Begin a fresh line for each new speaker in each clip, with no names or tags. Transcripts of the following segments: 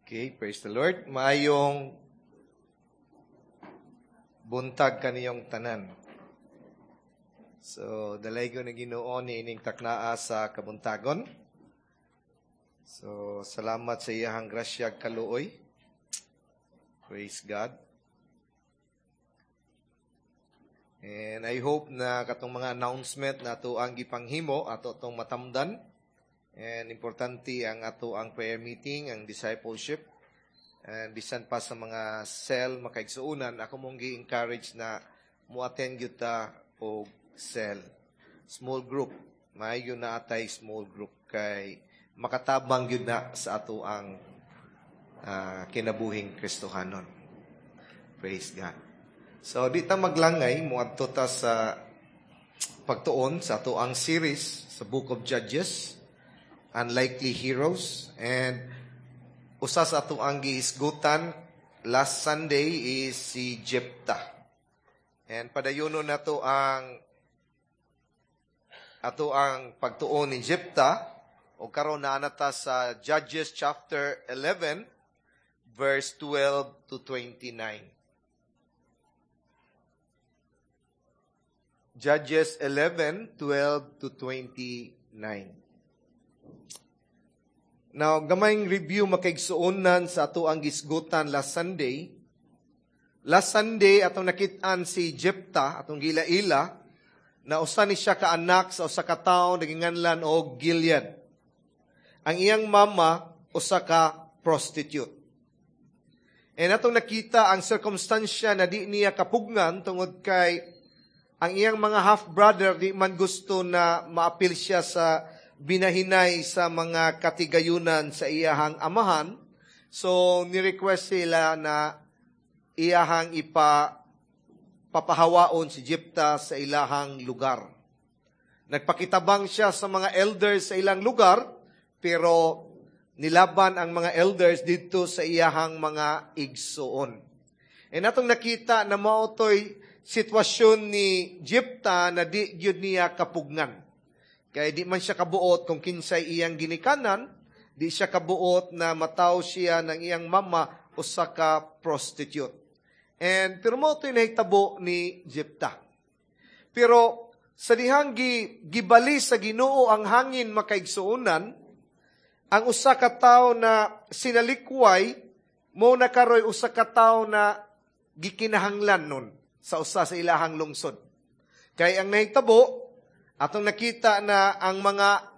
Okay, praise the Lord. Maayong buntag kaniyong tanan. So, dalaygon ng Ginoo ni ining taknaa sa kabuntagon. So, salamat sa iyahang grasya ug kaluoy. Praise God. And I hope na katong mga announcement na ato ang gipanghimo ato tong matamdan. And importante ang ato ang prayer meeting, ang discipleship. And bisan pa sa mga cell makaigsuonan, ako mong gi-encourage na mo-attend gyud ta og cell. Small group. Maayo na atay small group kay makatabang gyud na sa ato ang kinabuhing Kristohanon. Praise God. So di ta maglangay, moadto ta sa pagtuon sa ato ang series sa Book of Judges, Unlikely Heroes, and usa sa ato ang gihisgutan last Sunday is si Jephthah. And padayonon nato ang ato ang pagtuon ni Jephthah o karon naa na ta sa Judges chapter 11 verse 12 to 29. Judges 11, 12 to 29. Now, gamayng review, makaigsuonan, sa ato ang gisgutan last Sunday. Last Sunday, atong nakit-an si Jephthah, atong gila-ila, na usa ni siya ka anak sa usa ka tawo naginganlan og Gilead. Ang iyang mama, usa ka prostitute. And atong nakita ang sirkumstansya na di niya kapugngan tungod kay ang iyang mga half-brother di man gusto na maapil siya sa binahinay sa mga katigayunan sa iyahang amahan. So, ni-request sila na iyahang ipa papahawaon si Jephthah sa ilahang lugar. Nagpakitabang siya sa mga elders sa ilang lugar, pero nilaban ang mga elders dito sa iyahang mga igsuon. And atong nakita na mao to'y sitwasyon ni Jephthah na di gyud niya kapugngan. Kaya di man siya kabuot kung kinsay iyang ginikanan, di siya kabuot na mataw siya ng iyang mama usa ka prostitute. And pero mao to'y nahitabo ni Jephthah. Pero sa dihang gibali sa Ginoo ang hangin, makaigsuonan, ang usa ka tawo na sinalikway mo na karoy usa ka tawo na gikinahanglan nun sa usa sa ilahang lungsod. Kay ang nahitabo, atong nakita na ang mga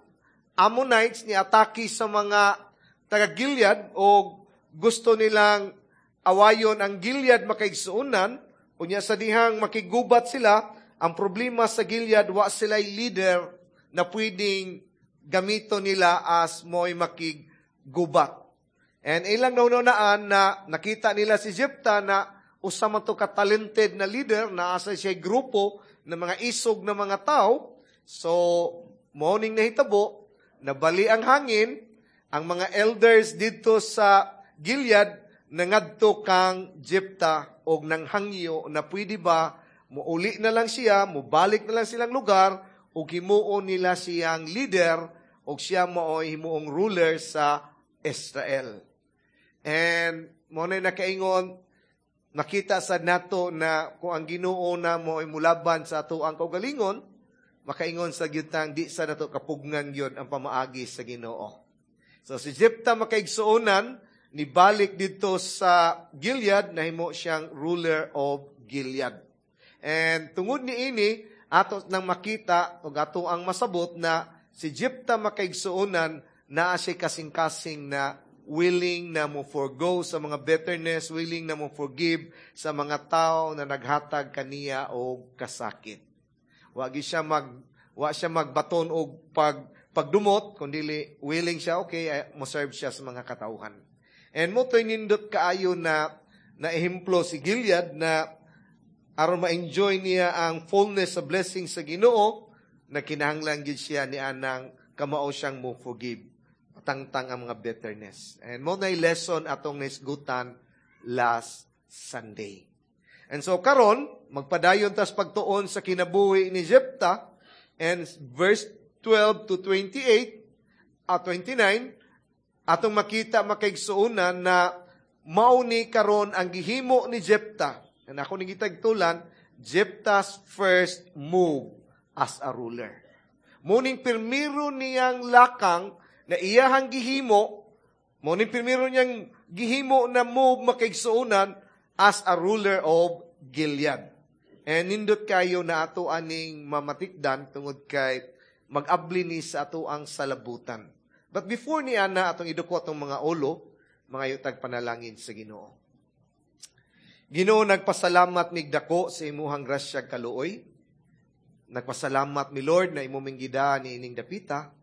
Ammonites ni atake sa mga taga Gilead o gusto nilang awayon ang Gilead, makaigsuonan. Unya sa dihang makigubat sila, ang problema sa Gilead, wa sila leader na pwedeng gamito nila as mo'y makigubat. And ilang naunaan na nakita nila si Jephthah na usa man to ka talented na leader, na asa siya grupo ng mga isog na mga tao. So, mao ning nahitabo, nabali ang hangin, ang mga elders dito sa Gilead nangadto kang Jephthah og nanghangyo na pwede ba muuli na lang siya, mubalik na lang silang lugar ug himuon nila siyang leader ug siya mao'y himuong ruler sa Israel. And mo na nakaingon, nakita sa nato na kung ang Ginoo na mo ay mulaban sa ato ang kaugalingon, makaingon sa gyud di sa nato kapugngan gyud ang pamaagi sa Ginoo. So si Jephthah, makaigsuonan, nibalik dito sa Gilead, nahimo siyang ruler of Gilead. And tungod ni ini, ato nang makita ug ato ang masabot na si Jephthah, makaigsuonan, naa siya kasing-kasing na willing na mo forgo sa mga bitterness, willing na mo forgive sa mga tao na naghatag kaniya og kasakit. Wa siya magbaton og pagdumot, kundi willing siya, okay, mo serve siya sa mga katawhan. And mo to'y nindot kaayo na na ehemplo si Gilead na aron ma-enjoy niya ang fullness sa blessing sa Ginoo, na kinahanglan gyud siya ni anang kamao siyang mo forgive tangtang ang mga bitterness. And mo na lesson atong naisgutan last Sunday. And so karon magpadayon tas pagtuon sa kinabuhi ni Jephthah and verse 12 to 28 at 29. Atong makita, makaigsuonan, na mao ni karon ang gihimo ni Jepta. And ako ni gitagtulan, Jepta's first move as a ruler. Muning pirmiro niyang lakang na iyahang gihimo, muning pirmiro niyang gihimo na move, makaigsuonan, as a ruler of Gilead. And nindot kayo na ato aning mamatikdan tungod kay mag-abli ni sa ato ang salabutan. But before ni ana, atong iduko atong mga ulo, mga yutag panalangin sa Ginoo. Ginoo, nagpasalamat mig dako sa imuhang grasya kaluoy. Nagpasalamat mi, Lord, na imo ming gida ni ining dapita.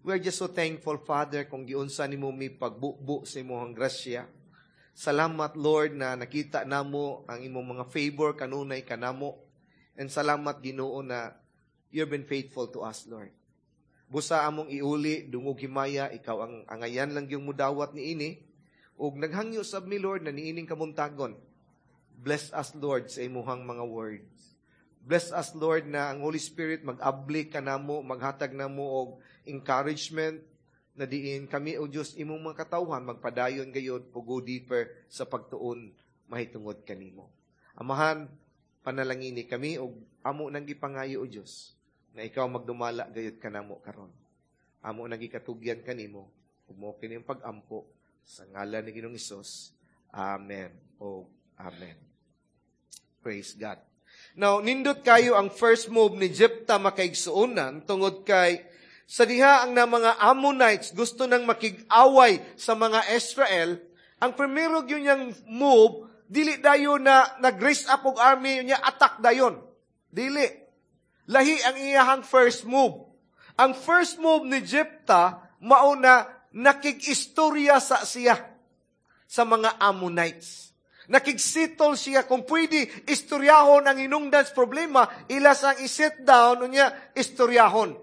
We are just so thankful, Father, kung giunsa nimo mi pagbubu sa imuhang grasya. Salamat, Lord, na nakita namo ang imong mga favor kanunay kanamo. And salamat, Ginoo, na you've been faithful to us, Lord. Busa among iuli, dungog himaya, ikaw ang angayan lang yung mudawat ni ini. Ug naghangyo sab mi, Lord, na niining kamuntagon. Bless us, Lord, sa imuhang mga words. Bless us, Lord, na ang Holy Spirit mag-abli kanamo, maghatag namo og encouragement na diin kami, O Diyos, imong mga katawhan, magpadayon gayod, go deeper sa pagtuon mahitungod kanimo. Amahan, panalangini kami og amo nang gipangayo, O Diyos, na ikaw magdumala gayud kanamo karon. Amo nang gikatugyan kanimo ug mao kini ang pag-ampo sa ngalan ni Ginoong Hesus. Amen. O amen. Praise God. Now, nindot kayo ang first move ni Jepta, makaigsuonan, tungod kay sa diha ang na mga Ammonites gusto nang makig-away sa mga Israel, ang primero gyud niyang move, dili dayon na nag-raise up og army niya, attack dayon. Dili. Lahi ang iyahang first move. Ang first move ni Jepta, mao na nakig-istorya sa siya sa mga Ammonites. Nakig-settle siya kung pwede istoryahon ang hinungdan sa problema, ila sang i-sit down unya istoryahon.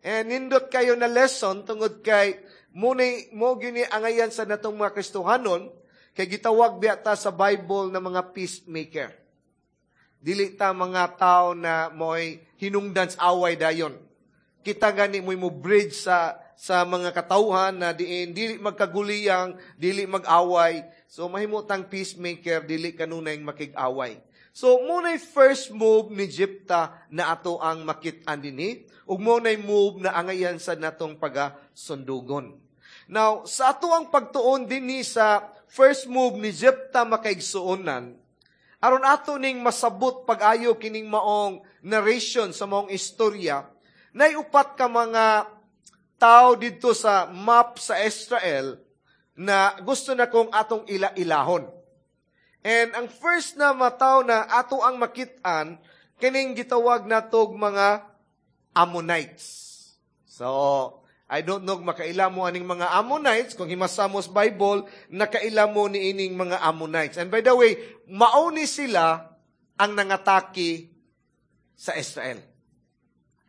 And nindot kayo na lesson tungod kay munay mo gini angayan sa natong mga Kristohanon kay gitawag biya ta sa Bible na mga peacemaker. Dili ta mga tao na mo'y hinungdan sa away dayon. Kita gani mo'y mo bridge sa mga katawhan na diin dili magkaguliyang, dili mag-away. So mahimo tang peacemaker, dili kanunay makig-away. So muna'y first move ni Jepta na ato ang makit-an dinhi ug muna'y move na angayan sa natong pagasundugon. Now, sa ato ang pagtuon dinhi sa first move ni Jepta, makaigsuonan, aron ato ning masabot pag-ayo kining maong narration sa maong istorya, nay upat ka mga tao didto sa map sa Israel na gusto na kong atong ila-ilahon. And ang first na mataw na ato ang makit-an, kining gitawag natog mga Ammonites. So, I don't know kung makaila mo aning mga Ammonites. Kung himasa mo sa Bible, nakaila mo ni ining mga Ammonites. And by the way, mauni sila ang nangatake sa Israel.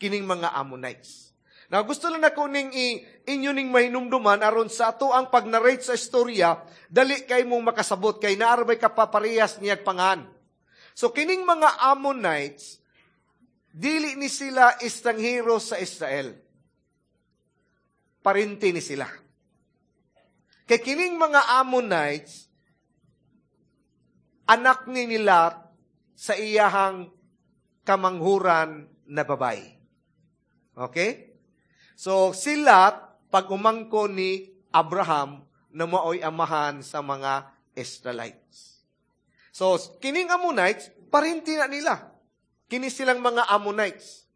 Kining mga Ammonites. Now, gusto lang nako ning inyo ning mahinumduman aron sa ato ang pag-narrate sa istorya, dali kay mong makasabot kay naarbay ka paparehas niyag pangan. So, kining mga Ammonites, dili ni sila estranghero sa Israel. Parinti ni sila. Kay kining mga Ammonites, anak ni nila sa iyahang kamanghuran na babay. Okay? So, sila, pag umangko ni Abraham, na maoy amahan sa mga Israelites. So, kining Ammonites, parinti na nila. Kini silang mga Ammonites.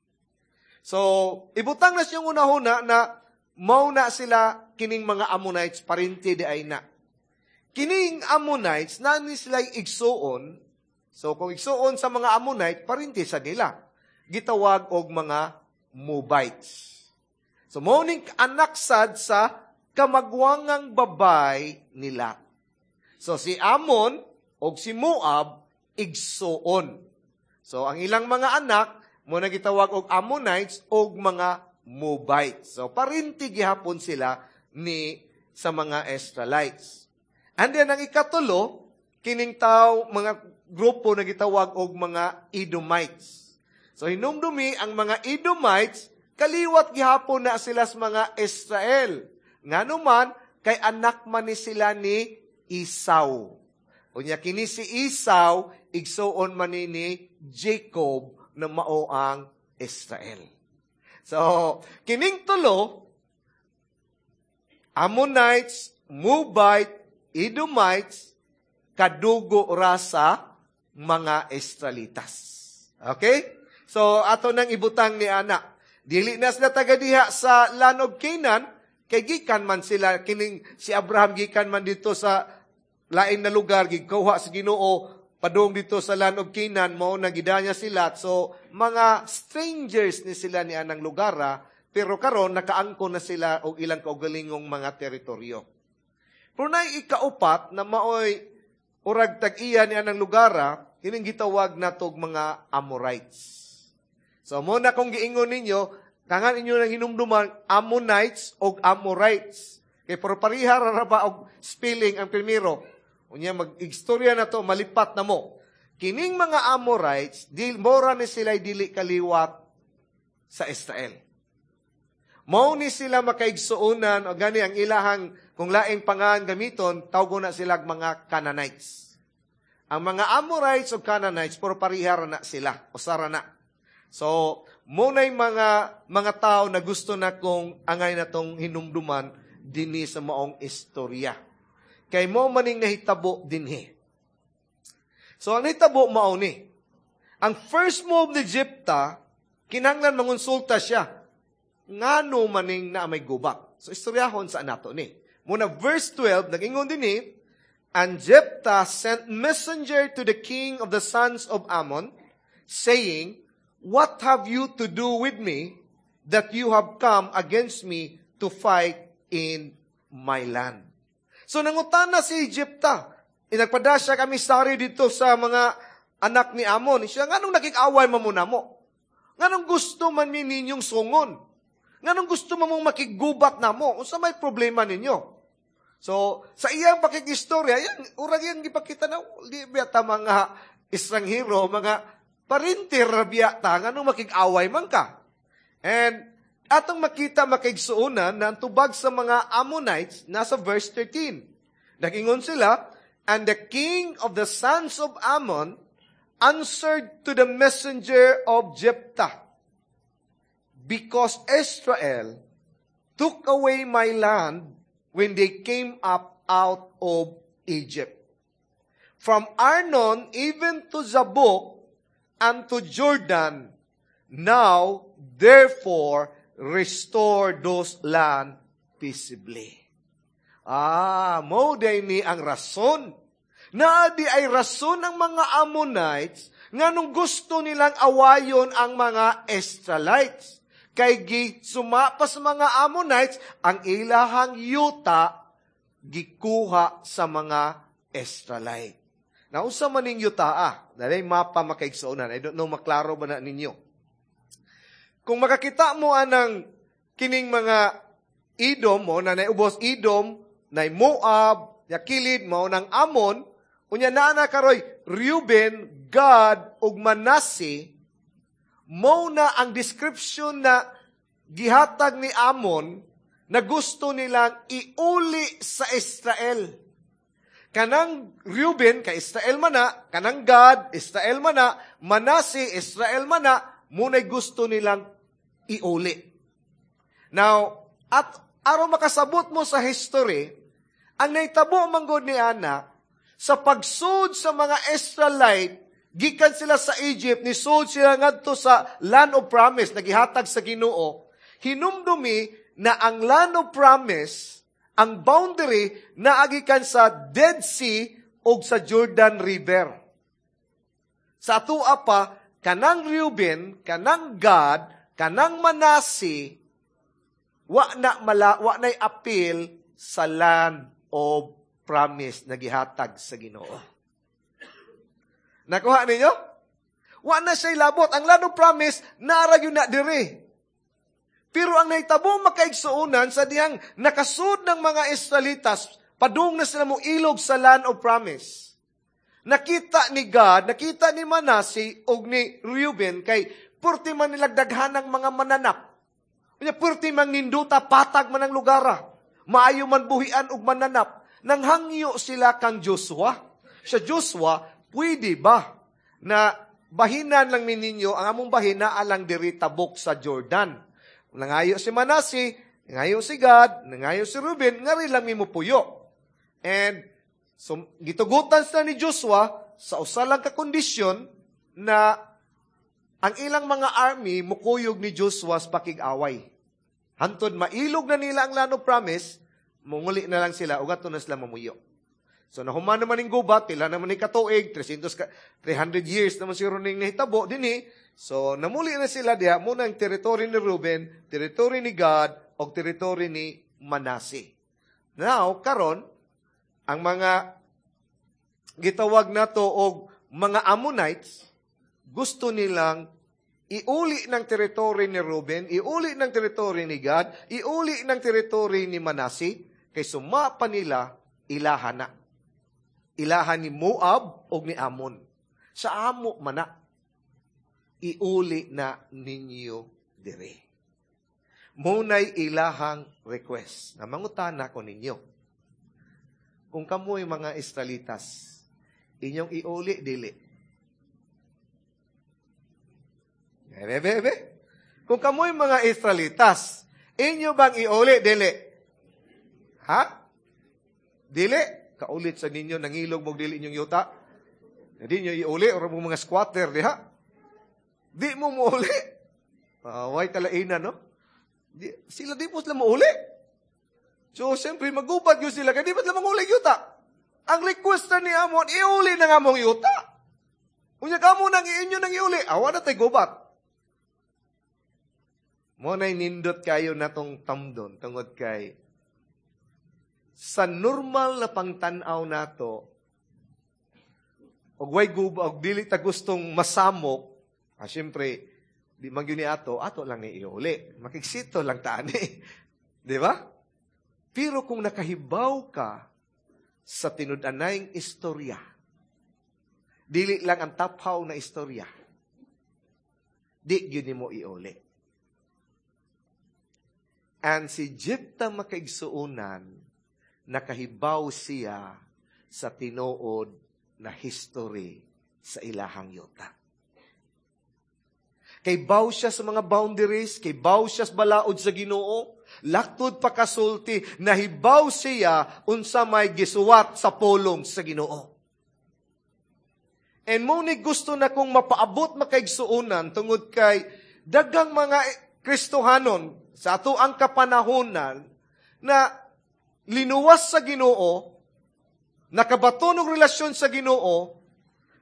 So, ibutang na siyang unahuna na mao na sila kining mga Ammonites, parinti di ay na. Kining Ammonites, na ni sila igsuon. So, kung igsuon sa mga Ammonite, parinti sa nila. Gitawag og mga Moabites. So, mao ning anak sad sa kamagwangang babay nila. So, si Ammon og si Moab, igsuon. So, ang ilang mga anak, mo na gitawag og Ammonites og mga Moabites. So, parinti gihapon sila ni sa mga Israelites. And then, ang ikatulo, kining tao, mga grupo na gitawag og mga Edomites. So, hinumdumi, ang mga Edomites, kaliwat gihapon na sila sa mga Israel. Ngano man, Kay anak man ni sila ni Esau. Unya kini si Esau, igsuon man ni Jacob na mao ang Israel. So, kining tulo, Ammonites, Moabite, Edomites, kadugo ra sa mga Israelitas. Okay? So, ato nang ibutang ni ana. Dili na sila taga diha sa land of Canaan, kay gikan man sila, kining si Abraham gikan man dito sa lain na lugar, gikuha sa Ginoo, padung dito sa land of Canaan, mao na gidanya sila. So, mga strangers ni sila ni anang lugara, pero karon nakaangko na sila og ilang kaugalingong mga teritoryo. Pero naay ikaupat na maoy urag tag-iya ni anang lugara, kining gitawag natog mga Amorites. So, mo na kung giingon ninyo, kangan inyo nang hinumduman, Ammonites og Amorites. Kay pero pareha ra ba og spelling ang primero. Unya mag-istorya na to, malipat na mo. Kining mga Amorites, di, mora ni sila dili kaliwat sa Israel. Mao ni sila makaigsuonan, o gani ang ilahang, kung laing pangan gamiton, tawgo na sila mga Canaanites. Ang mga Amorites o Canaanites, pero pareha ra na sila, usara na. So, muna'y mga tao na gusto na kong angay na tong hinumduman dinhi sa maong istorya. Kay mo maning nahitabo dinhi. So, ang nahitabo mao ni. Ang first move ni Jepta, kinahanglan mangonsulta siya. Ngano maning na may gubat. So, istoryahon sa nato ni. Muna verse 12, nag-ingon dinhi, "And Jephthah sent messenger to the king of the sons of Ammon, saying, 'What have you to do with me that you have come against me to fight in my land?'" So nangutana si Jepta. Inagpada siya kami sari dito sa mga anak ni Amon. Siya, nganong nakikaway man mo namo? Nganong gusto man mi ninyong sungon? Nganong gusto man mong makigubat namo? Unsa may problema ninyo? So, sa iyang pakikistorya, yan, urag yan gipakita na, di biya ta mga estranghero, mga parinter biya ta, nganong makig-away man ka? And atong makita makigsuonan na ang tubag sa mga Ammonites nasa verse 13. Nagingon sila, "And the king of the sons of Ammon answered to the messenger of Jephthah, 'Because Israel took away my land when they came up out of Egypt. From Arnon even to Jabbok and to Jordan, now therefore restore those land peaceably.'" Ah, mo day ni ang rason. Naa di ay rason ng mga Ammonites nganong gusto nilang awayon ang mga Israelites. Kay gi suma pa sa mga Ammonites ang ilahang yuta gikuha sa mga Israelite. Nausa man ning yuta ah. Dali mapa makaigsuonan. I don't know maklaro ba na ninyo. Kung makakita mo anang kining mga Edom mo na naubos Edom, na Moab, yakilid mao ng Ammon, unya naa na karoy Reuben, Gad ug Manasseh, mo na ang description na gihatag ni Ammon na gusto nilang iuli sa Israel. Kanang Reuben, kay Israel man na, kanang Gad, Israel man na, Manasseh, Israel man na, muna'y gusto nilang iuli. Now, at aron makasabot mo sa history, ang naitabo manggod ni Ana, sa pagsud sa mga Israelite, gikan sila sa Egypt, nisud sila ngadto sa Land of Promise, nagihatag sa Ginoo, hinumdumi na ang Land of Promise, ang boundary, naagikan sa Dead Sea o sa Jordan River. Sa atua pa, kanang Reuben, kanang Gad, kanang Manasseh, wa na mala, wa na'y apil sa Land of Promise na gihatag sa Ginoo. Nakuha ninyo? Wa na siya'y labot. Ang Land of Promise, naara yun na dire. Pero ang nahitabo makaigsuonan sa dihang nakasud ng mga Israelitas, padung na sila mo ilog sa Land of Promise. Nakita ni Gad, nakita ni Manasseh og ni Reuben kay purti man nilagdaghan ng mga mananap. Unya purti man ninduta patag man ang lugara. Maayo man buhian ug mananap. Nanghangyo sila kang Joshua. Sa Joshua, pwede ba na bahinan lang ninyo, ang among bahin naa lang diri tabok sa Jordan? Nangayo si Manasi, nangayo si Gad, nangayo si Ruben, ngari lang mi mopuyo. And so, gitugutan sila ni Joshua sa usa lang ka kondisyon na ang ilang mga army mukuyog ni Joshua sa pakig-away. Hantod mailog na nila ang Land of Promise, munguli na lang sila, ugat na sila mamuyo. So nahuman naman ning gubat, pila naman ni katuig, 300 years naman siguro ning nahitabo dinhi. So namuli na sila diha, muna ang territory ni Ruben, territory ni Gad, o territory ni Manasi. Now, karon ang mga gitawag nato og mga Ammonites, gusto nilang iuli ng territory ni Ruben, iuli ng territory ni Gad, iuli ng territory ni Manasi, kay suma pa nila ilahan na. Ilahan ni Moab o ni Ammon. Sa amo mana, iuli na ninyo dire. Munay ilahang request. Na mangutana ko ninyo. Kung kamoy mga Israelitas, inyong iuli, dili. Bebe, bebe. Kung kamoy mga Israelitas, inyo bang iuli, dili? Ha? Dili? Kaulit sa ninyo, nangilog mo dili inyong yuta. Hindi nyo iuli, or mo mga squatter, diha? Di mo muuli. Way kalainan, no? Di, sila di po sila muuli. So, siyempre, magubat yun sila, kaya di ba sila manguli yuta? Ang request na ni Amon, iuli na nga mong yuta. Unya ka mo nang iinyo nang iuli, awa na tayo gubat. Mo na'y nindot kayo na tong tamdon, tungod kay sa normal na pangtanaw nato, og way guba, og dili ta gustong masamok, siyempre, di man gyud ni ato, ato lang ni iuli. Makigsito lang ta ani. Di ba? Pero kung nakahibaw ka sa tinud-anayng istorya, dili lang ang taphaw na istorya, di gyud nimo iuli. And si Jepta makaigsuonan, nakahibaw siya sa tinuod na history sa ilahang yuta. Kay baw siya sa mga boundaries, kay baw siya sa balaod sa Ginoo, laktod pa kasulti, nahibaw siya unsa may gisuwat sa pulong sa Ginoo. And mo ni gusto na kong mapaabot makaigsuonan tungod kay daghang mga Kristohanon sa ato ang kapanahonan na linuwas sa Ginoo, nakabaton og relasyon sa Ginoo,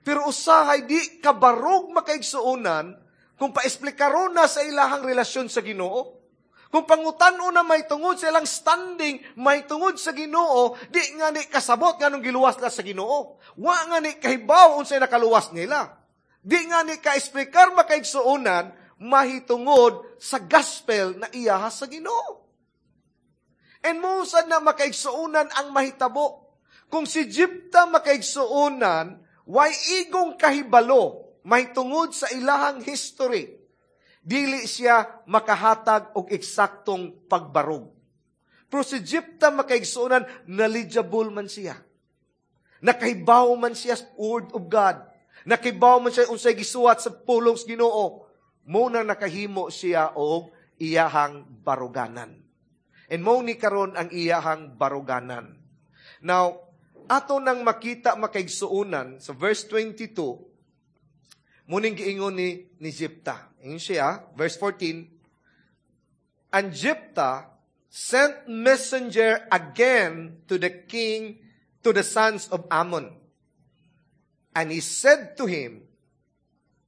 pero usahay di kabarog makaigsuonan kung paesplikaron na sa ilahang relasyon sa Ginoo. Kung pangutan-on na may tungod sa ilang standing, may tungod sa Ginoo, di nga ni kasabot nganong giluwas na sa Ginoo. Wa nga ni kahibaw unsay nakaluwas nila. Di nga ni kaesplikar makaigsuonan mahitungod sa gospel na iyaha sa Ginoo. And mosad na makaigsuonan ang mahitabo. Kung si Jepta makaigsuonan, way igong kahibalo mahitungod sa ilahang history, dili siya makahatag og eksaktong pagbarog. Pero si Jepta makaigsuonan, knowledgeable man siya. Nakahibaw man siya sa Word of God. Nakahibaw man siya unsay gisuwat sa pulong sa Ginoo. Muna nakahimo siya og iyahang baruganan. And mo ni karon ang iyahang baruganan. Now, ato nang makita makaigsuonan sa verse 22, muning giingon ni Jepta. Ingon siya, verse 14, and Jepta sent messenger again to the king, to the sons of Ammon. And he said to him,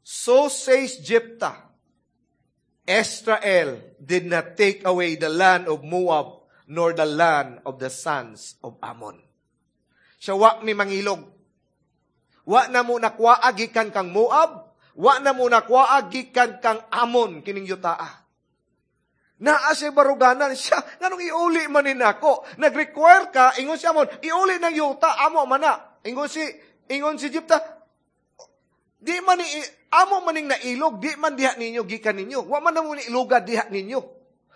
so says Jepta, Israel did not take away the land of Moab, nor the land of the sons of Ammon. Siya wa mi mangilog. Wa na mo nakuha gikan kang Moab, wa na mo nakuha gikan kang Ammon kining yutaa. Naa siya baruganan siya, nganong iuli man ni nako? Nag-require ka, ingon si Ammon, iuli ng yuta, amo man na. Ingon si Jepta, di man ni amo maning nailog, di man diha ninyo gikan ninyo. Wa man na mo ni iluga diha ninyo.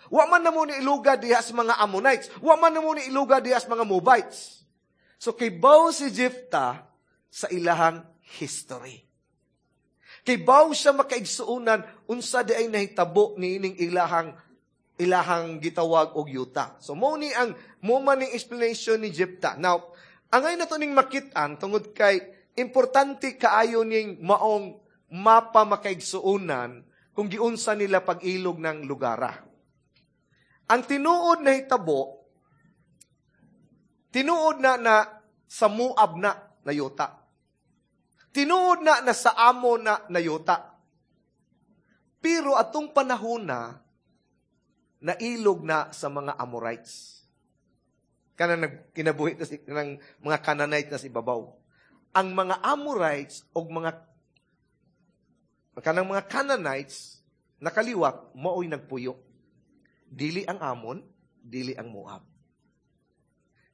Wa man namo ni iluga diha sa mga Ammonites. Wa man namo ni iluga diha sa mga Moabites. So kibaw si Jephthah sa ilahang history. Kibaw siya, makaigsuonan, unsa di ay nahitabo niining ilahang gitawag og yuta. So mo man ning explanation ni Jephthah. Now, angay nato ning makit-an tungod kay importante kaayo ning maong mapa, makaigsuonan, kung giunsa nila pag-ilog ng lugara. Ang tinuod na hitabo, tinuod na na sa Moab na nayuta. Tinuod na na sa Amon na nayuta. Pero atong panahon na, nailog na sa mga Amorites. Kanang kinabuhi na si, ng mga Canaanite na sa ibabaw. Ang mga Amorites o mga kanang mga Canaanites nakaliwat maoy nagpuyo. Dili ang Amon, dili ang Moab.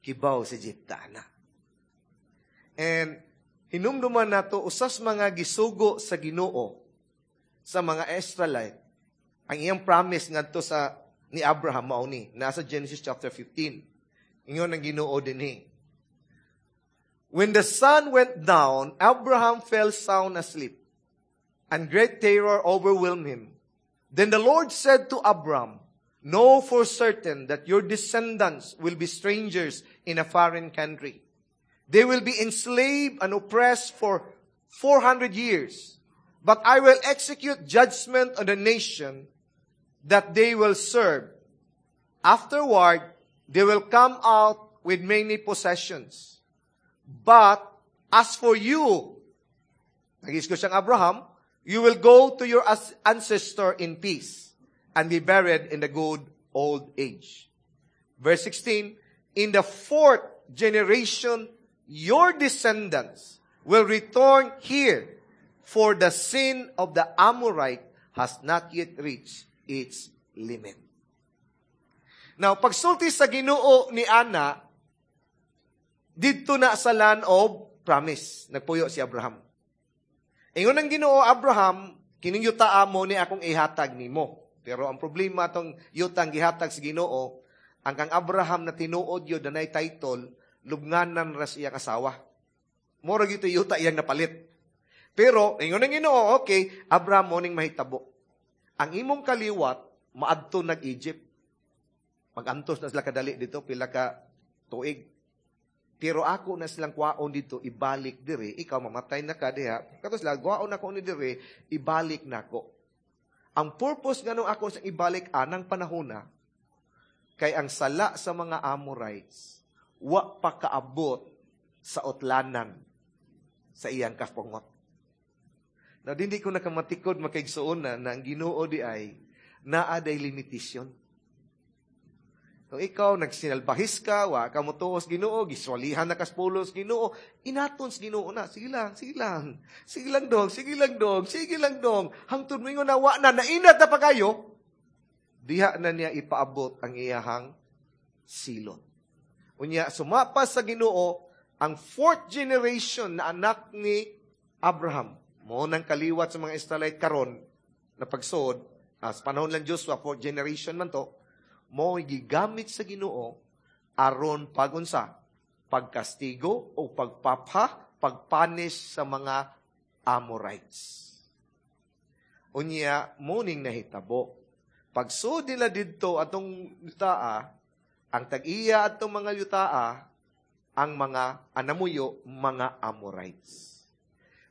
Kibaw si Jephthah na. And hinumduman nato usas mga gisugo sa Ginoo sa mga Israelite. Ang iyang promise ngadto sa ni Abraham mao ni nasa Genesis chapter 15. Ingon ang Ginoo dinhi. When the sun went down, Abraham fell sound asleep, and great terror overwhelmed him. Then the Lord said to Abram, "Know for certain that your descendants will be strangers in a foreign country. They will be enslaved and oppressed for 400 years. But I will execute judgment on the nation that they will serve. Afterward, they will come out with many possessions. But as for you," nag siyang Abraham, "you will go to your ancestor in peace and be buried in the good old age." Verse 16, "In the fourth generation, your descendants will return here, for the sin of the Amorite has not yet reached its limit." Now, pagsulti sa Ginoo ni Ana, didto na sa land of promise, nagpuyo si Abraham. Ingon ang Ginoo, "Abraham, kining yuta mo ni akong ihatag nimo." Pero ang problema, tong yutang gihatag sa Ginoo, ang kang Abraham na tinuod yun, danay title, lubnganan ra iyang asawa. Mura gyud yuta iyang napalit. Pero, ingon ang Ginoo, "Okay, Abraham, mo ning mahitabo. Ang imong kaliwat, maadto nag Egypt. Magantos na sila kadali dito, pila ka tuig. Pero ako na silang kwaon dito, ibalik diri, ikaw mamatay na ka diha. Kato sila, kwaon ako ni diri, ibalik nako. Ang purpose nganong ako sa ibalik anang panahon na, kay ang sala sa mga Amorites, wa pa kaabot sa utlanan sa iyang kapungot." Now, dindi ko nakamatikod, makaigsuon, na ang Ginoo di ay naa day limitasyon. Kung ikaw nagsinalbahis ka, wa ka motuos Ginoo, giswalihan na kas pulos Ginoo, inaton sa Ginoo na, sige lang, sige lang, sige lang dong, sige lang dong, sige lang dong, hangtod mo ingon na wa na, nainat na pa kayo, diha na niya ipaabot ang iyahang silot. Unya, sumapa sa Ginoo, ang fourth generation na anak ni Abraham, mo nang kaliwat sa mga Israelite karon na pagsod, as panahon lang Joshua, fourth generation man to, mo gigamit sa Ginoo aron pagunsa, pagkastigo o pagpapha, pagpunish sa mga Amorites. Unya, muning nahitabo. Pagsud nila didto atong yutaa, ang tag-iya atong mga yutaa, ang mga anamuyo, mga Amorites.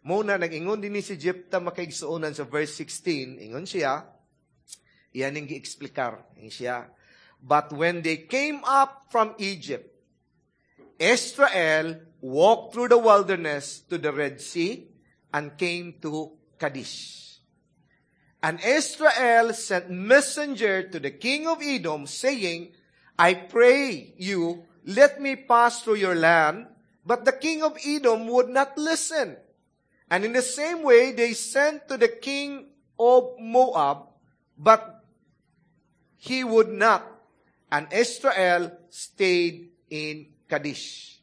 Muna, nag-ingon din ni si Jephthah, makaigsuonan, sa verse 16, ingon siya, iyan ang gi-explikar. Ingon siya, "But when they came up from Egypt, Israel walked through the wilderness to the Red Sea and came to Kadesh. And Israel sent messenger to the king of Edom, saying, 'I pray you, let me pass through your land.' But the king of Edom would not listen. And in the same way, they sent to the king of Moab, but he would not. And Israel stayed in Kadesh."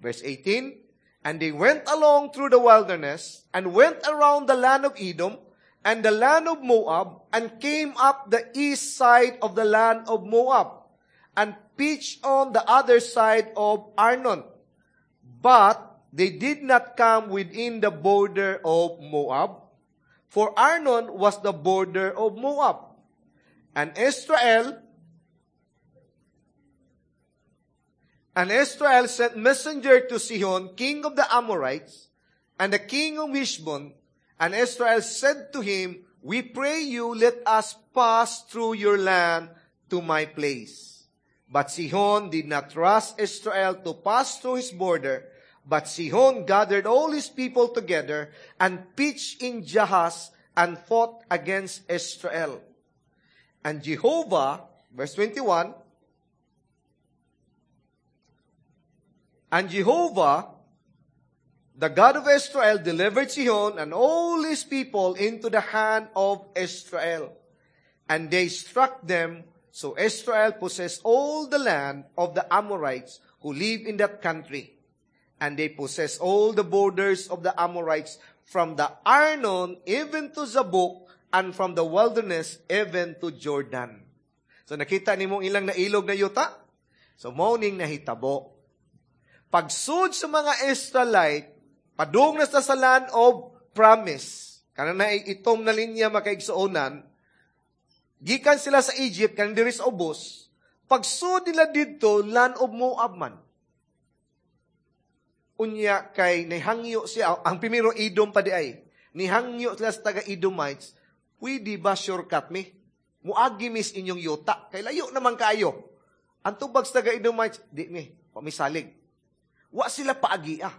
Verse 18, "And they went along through the wilderness and went around the land of Edom and the land of Moab, and came up the east side of the land of Moab, and pitched on the other side of Arnon. But they did not come within the border of Moab, for Arnon was the border of Moab. And Israel sent messenger to Sihon, king of the Amorites, and the king of Heshbon. And Israel said to him, "We pray you, let us pass through your land to my place." But Sihon did not trust Israel to pass through his border. But Sihon gathered all his people together and pitched in Jahaz and fought against Israel. And Jehovah, verse 21, and Jehovah, the God of Israel, delivered Sihon and all his people into the hand of Israel. And they struck them, so Israel possessed all the land of the Amorites who live in that country. And they possessed all the borders of the Amorites from the Arnon even to Jabbok, and from the wilderness even to Jordan. So nakita nimo ilang nailog na yuta? So mao ning nahitabo. Pagsud sa mga Israelite, padung na sa land of promise. Kanang na itom na linya, makaigsuonan, gikan sila sa Egypt, kanang diri sa ubos, pagsud nila didto, land of Moab man. Unya kay nihangyo siya, ang primero Edom pa di ay, nihangyo sila sa taga Edomites, "Pwede ba shortcut mi? Muagi mis inyong yuta, kay layo naman kaayo." Ang tubag sa taga Edomites, "Di mi, pamisalig." Wa sila paagi ah.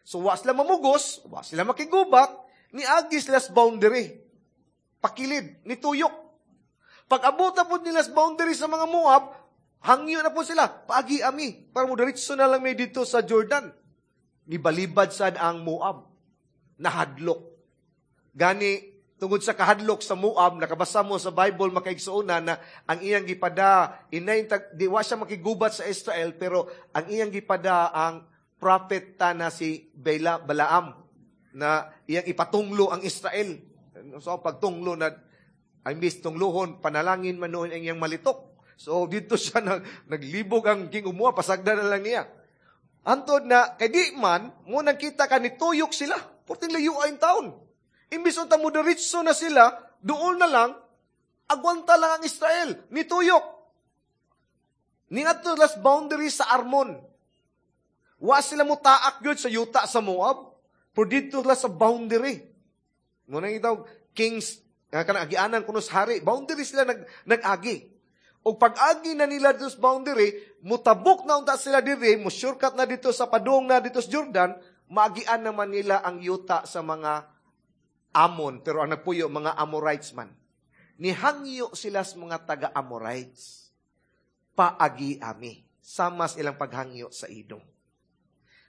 So wa sila mamugos, wa sila makigubat, niagi sila sa boundary. Pakilid, nituyok. Pag abot na po nila sa boundary sa mga Moab, hangyo na po sila, "Paagi ami, para mo diretso na lang may dito sa Jordan." Nibalibad sad ang Moab. Nahadlok. Gani, tungod sa kahadlok sa Moab, nakabasa mo sa Bible, makaigsuonan, na ang iyang gipada, inay, di wa siya makigubat sa Israel, pero ang iyang gipada ang prophet ta na si Balaam, na iyang ipatunglo ang Israel. So, pagtunglo na, ay mis tungluhon, panalangin man noon ang iyang malitok. So, dito siya naglibog ang king of Moab, pasagdan na lang niya. Antod na, kay di man, mo nang kita ka, nituyok sila. Porting layo ay taon. Imbis unta mo diretso na sila, doon na lang, agwanta lang ang Israel, nituyok. Ningadto last boundary sa Armon. Wa sila mo taak gyud sa yuta sa Moab, pero dito lang sa boundary. Mo nang itaw, kings, kanang agianan kuno sa hari, boundary sila nag-agi. O pag-agi na nila dito sa boundary, mutabok na unta sila diri, mo shortcut na dito sa padung na dito sa Jordan, maagian naman nila ang yuta sa mga Amon, pero ang nagpuyo, mga Amorites man. Nihangyo sila sa mga taga-Amorites. "Paagi ami." Sama sa ilang paghangyo sa Edom.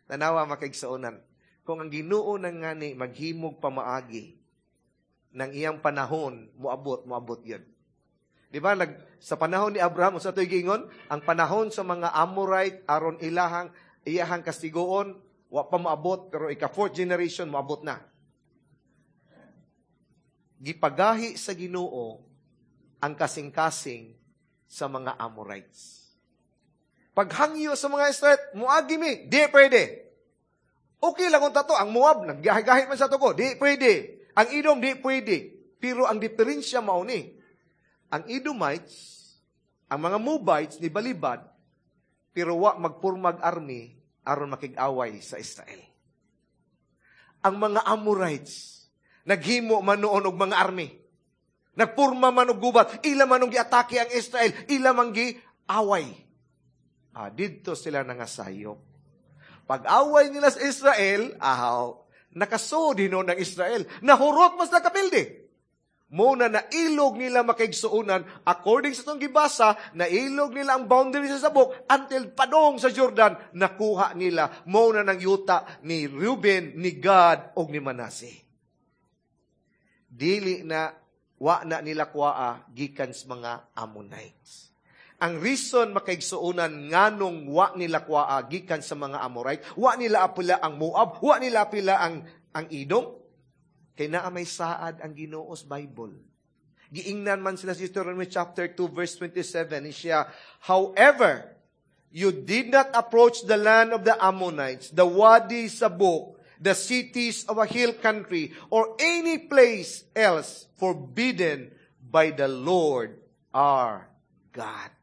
Tanawa, makaigsuonan, kung ang Ginoo nang ngani maghimog pamaagi ng iyang panahon, moabot, moabot yun. Di ba, sa panahon ni Abraham, sa ito'y giingon, ang panahon sa mga Amorite, aron iyahang kastigoon, wa pa moabot, pero ika-fourth generation, moabot na. Gipagahi sa Ginoo ang kasing-kasing sa mga Amorites. Paghangyo sa mga Israel, "Muagi mi," "Di pwede." Okay lang kung tato, ang Moab, naggahi-gahi man sa tuko, "Di pwede." Ang Edom, "Di pwede." Pero ang diferensya mao ni, ang Edomites, ang mga Moabites ni balibad, pero wa magpurmag army aron makig-away sa Israel. Ang mga Amorites, naghimo man noon og mga army. Nagpurma man og gubat, ila man og giatake ang Israel, ila man gi-away. Didto sila nangasayop. Pag-away nila sa Israel, ahaw, nakasod hinuon ng Israel. Nahurot mas nakapildi. Muna nailog nila, makaigsuonan, according sa itong gibasa, nailog nila ang boundary sa Sabok until padong sa Jordan, nakuha nila muna ng yuta ni Reuben, ni Gad, o ni Manasseh. Dili na, wa na nila kuaa gikan sa mga Ammonites. Ang reason, makaigsuonan, nganong wa nila kuaa gikan sa mga Amorite, wa nila apila ang Moab, wa nila apila ang Edom. Kay naa may saad ang Ginoo sa Bible. Giingnan man sila sa Deuteronomy chapter 2 verse 27 siya, "However, you did not approach the land of the Ammonites, the Wadi Sabuk, the cities of a hill country, or any place else forbidden by the Lord our God."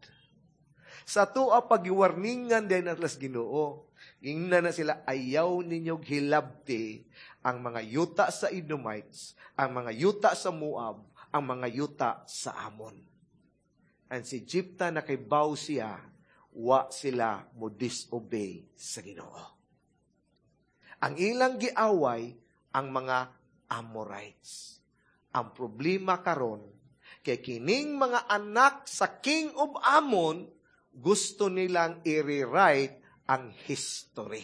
Sa atoa pagiwarningan din atlas Ginoo. Ingnan na sila, "Ayaw ninyo hilabti ang mga yuta sa Edomites, ang mga yuta sa Moab, ang mga yuta sa Amon." And si Jepta, nakaibaw siya, wa sila mo disobey sa Ginoo. Ang ilang giaway ang mga Amorites. Ang problema karon kay kining mga anak sa King of Ammon, gusto nilang i-rewrite ang history.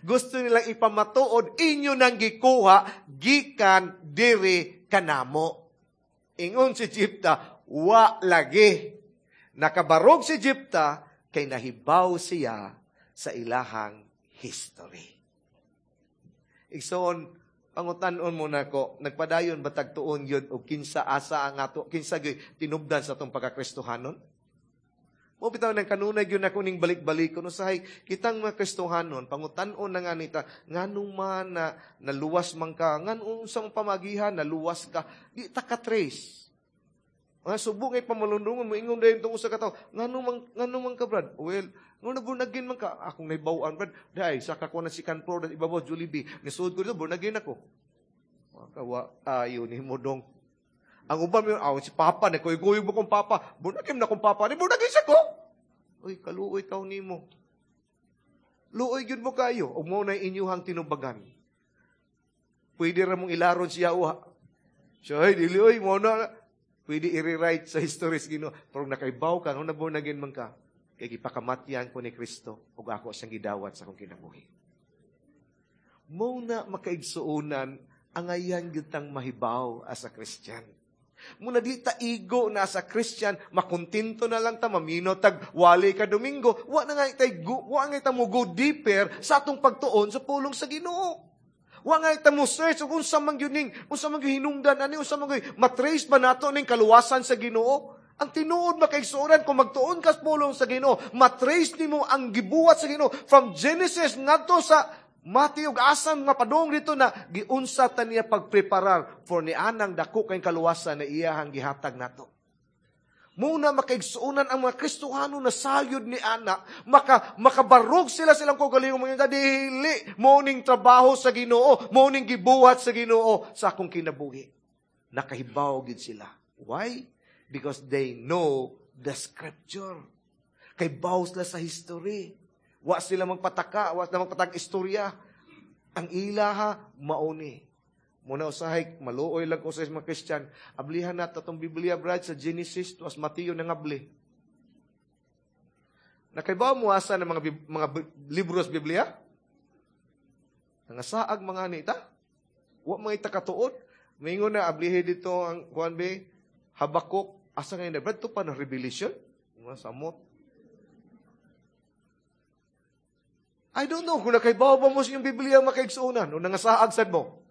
Gusto nilang ipamatuod, inyo nang gikuha gikan diri kanamo. Ingon si Jepta, "Wa lagi." Nakabarog si Jepta kay nahibaw siya sa ilahang history. Igsoon, pangutan-on mo nako, nagpadayon ba tag tuon yun o kinsa asa ang ato, kinsa gyud tinubdan sa atong pagkakristohanon? Mo bitaw nang kanunay gyud nako ning balik-balik kuno usahay kitang mga Kristohanon, pangutan-on na nga nita nganong man na naluwas man ka, nganong sa pamagihan naluwas ka, di ta ka trace. Mga subo ngay pamalundungon mo ingon dayon tungod sa katawo, nganong man ka, Brad? Well, ngano born again man ka? Akong nahibaw-an, Brad, dai saka ko na second floor ibabaw Jollibee. Nisud ko dito, born again ako. Makawa ayo nimo dong. Ang uban mo, aw, si Papa, nagkuy-kuy mo kong Papa. Born again na kong Papa. Di born again siya ko. Uy, kaluoy taw nimo. Luoy gyud mo kayo. Ug mo na inyuhang tinubagan. Pwede ra mong ilaron siya uha. Siya, ay, dili, oy, mo na. Pwede i-rewrite sa history sa Ginoo. Pero nakaibaw ka, nung na-born again man ka, kay gipakamatyan ko ni Kristo, ug ako siyang gidawat sa akong kinabuhi. Mo na makaigsuonan, angayan gyud tang mahibaw as a Christian. Muna di ta igo na sa Christian, makontento na lang ta, mamino tag wali ka Domingo, wa na nga itay, wa nga ita mo go deeper sa atong pagtuon sa pulong sa Ginoo. Wa nga ita mo search kung unsa man gyud ning, unsa man gyud hinungdan ani, unsa man gyud matrace ba nato ning kaluwasan sa Ginoo? Ang tinuod, makaigsuonan, kung magtuon ka sa pulong sa Ginoo, matrace nimo ang gibuhat sa Ginoo from Genesis ngadto sa Matthew ug asan nga padung dito na giunsa ta niya pagpreparar for ni anang dako kay kaluwasan na iyahang gihatag nato. Muna makaigsuonan ang mga Kristohano na sayod ni ana, makabarog sila silang kaugalingon mga dili mo ning trabaho sa Ginoo, mo ning gibuhat sa Ginoo sa akong kinabuhi. Nakahibaw gid sila. Why? Because they know the scripture. Kay baw sila sa history. Wa sila magpataka, wa sila magpatag istorya. Ang ilaha mauni. Muna usahay, maluoy lang ko sa mga Christian. Ablihan na atong Biblia, Brad, sa Genesis, tuas Mateo nang abli. Nakaibaw mo asa ng mga libro sa Biblia? Nangasaag mga nita? Wa mga ita katuod. Mingon na, ablihe dito ang kuan be, Habakuk, asa ngayon na, Brad, ito pa na Revelation? Mga samot. I don't know kung nakaibaw ba mo sa inyong Biblia makaigsuonan o nangasaag sad mo.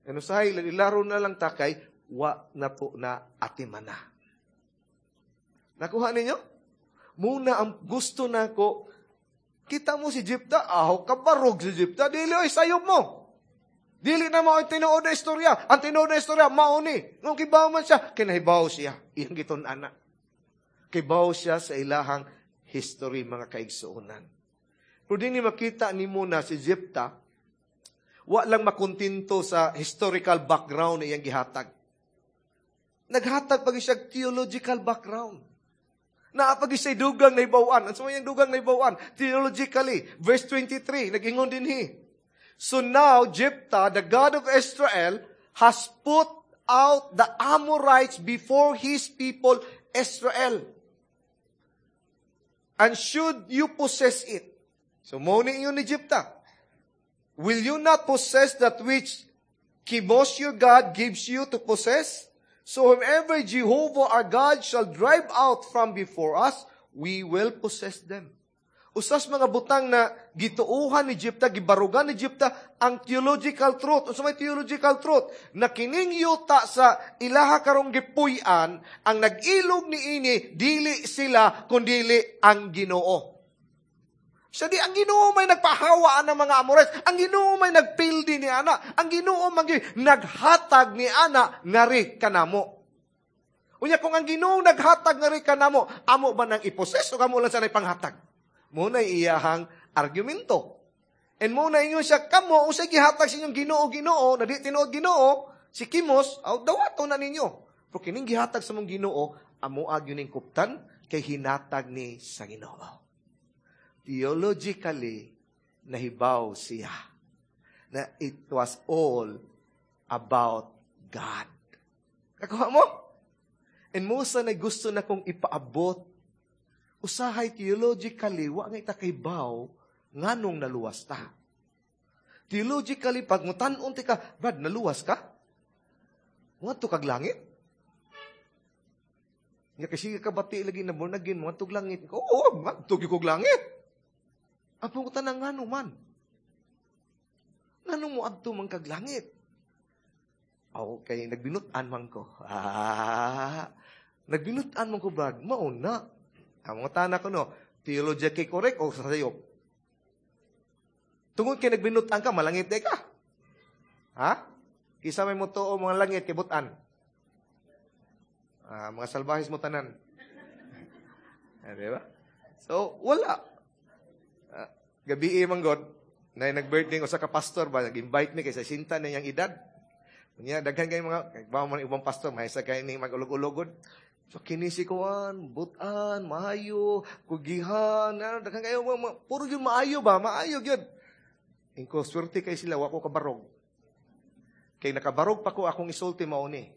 Ano sahay, ilaro na lang takay, wa na po na atimana. Nakuha ninyo? Muna ang gusto na ko, kita mo si Jepta, aho kabarog si Jepta, dili oy sayop mo. Dili na mo ang tinuod na istorya. Ang tinuod na istorya, mauni. Nung kibaw man siya, kinahibaw siya. Iyang gitun-ana. Kibaw siya sa ilahang history, mga kaigsuonan. Pero din ni makita ni mo na si Jepta, wa lang makontento sa historical background na iyang gihatag. Naghatag pag siya theological background. Naapag siya'y dugang na ibawan. Ang sumayang dugang na ibawan, theologically, verse 23, nag-ingon din hi. So now, Jephthah, the God of Israel, has put out the Amorites before his people, Israel. And should you possess it? So, mo ni ingon ni Jephthah, will you not possess that which Chemosh your God gives you to possess? So whomever Jehovah our God shall drive out from before us, we will possess them. Usas mga butang na gituuhan ni Jepta, gibarugan ni Jepta ang theological truth. Unsa may theological truth? Na kining yuta sa ilaha karong gipuy-an, ang nag-ilog niini dili sila kundili ang Ginoo. Siya di ang Ginoo may nagpahawaan ng mga Amorites. Ang Ginoo may nagpildi ni ana. Ang Ginoo may naghatag ni ana ngari kanamo. Unya kung ang Ginoo naghatag ngari kanamo, amo ba nang iposes o kamo lang sa panghatag? Muna iyahang argumento. And muna ingon siya, kamo, usay gihatag sa inyong Ginoo, Ginoo, na di tinuod Ginoo, si Kimos, aw, dawato na ninyo. Pero kining gihatag sa mong Ginoo, amo agyo ning kuptan, kay hinatag ni sa Ginoo. Theologically, nahibaw siya na it was all about God. Kakuha mo? And Musa na gusto na kong ipaabot. Usahay theologically, wa nga itakaybaw, nganong naluwas ta. Theologically, pag mutan-on ti ka, Brad, naluwas ka? Ngadto kag langit? Nga kasi ka bati lagi na born again, mo tug langit. Oo, ngadto gyud kog langit. Ang pangutan ngano man? Ngano mo adto man kag langit? Okay, nagbinut-an man ko. Ah, nagbinut-an man ko, Brad. Mauna. Ang mga tana ko, no, theologically correct o sa sayop? Tungod kay nagbinutan ka, malangit day ka. Ha? Kisa may mutuo mga langit kay butan. Ah, mga salbahis mo tanan. Ah, di ba? So, wala. Ah, gabi man God, na nag-birthday ko sa ka-pastor ba, nag-invite mi kay sa sinta na niyang edad. Unya, daghan kayo mga, ba man ibang pastor, may sa kayo ni mag-ulog-ulogod. So, kinisikuan, butan, maayo, kugihan, ano, daghan kayo, mga, puro yun maayo ba? Maayo yun. Ingko, swerte kay sila, wako kabarog. Kay nakabarog pa ko akong isulti mauni.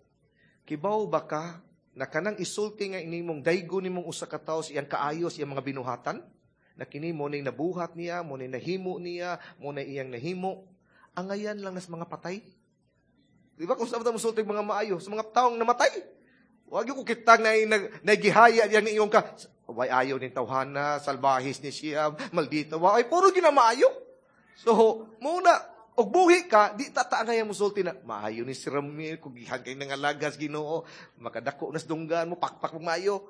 Kibaw ba ka, na kanang isulti nga inimong daygo nimong usa ka tawo sa iyang kaayos, iyang mga binuhatan? Na kini mo ning nabuhat niya, mo ning nahimo niya, mo na iyang nahimo. Angayan lang nas mga patay. Di ba kung saan mo sulti mga maayo sa mga taong namatay? Wag yung kitang na nagihaya yang iyong ka. Way ayaw ni tawhana, salbahis ni siya, maldita. Ay, puro ginamaayo. So, muna, og buhi ka, di tataangay mo sulti na, maayo ni si Ramil, kung gihan kay nangalagas Ginoo, makadako nas dunggan mo, pakpak mo maayo.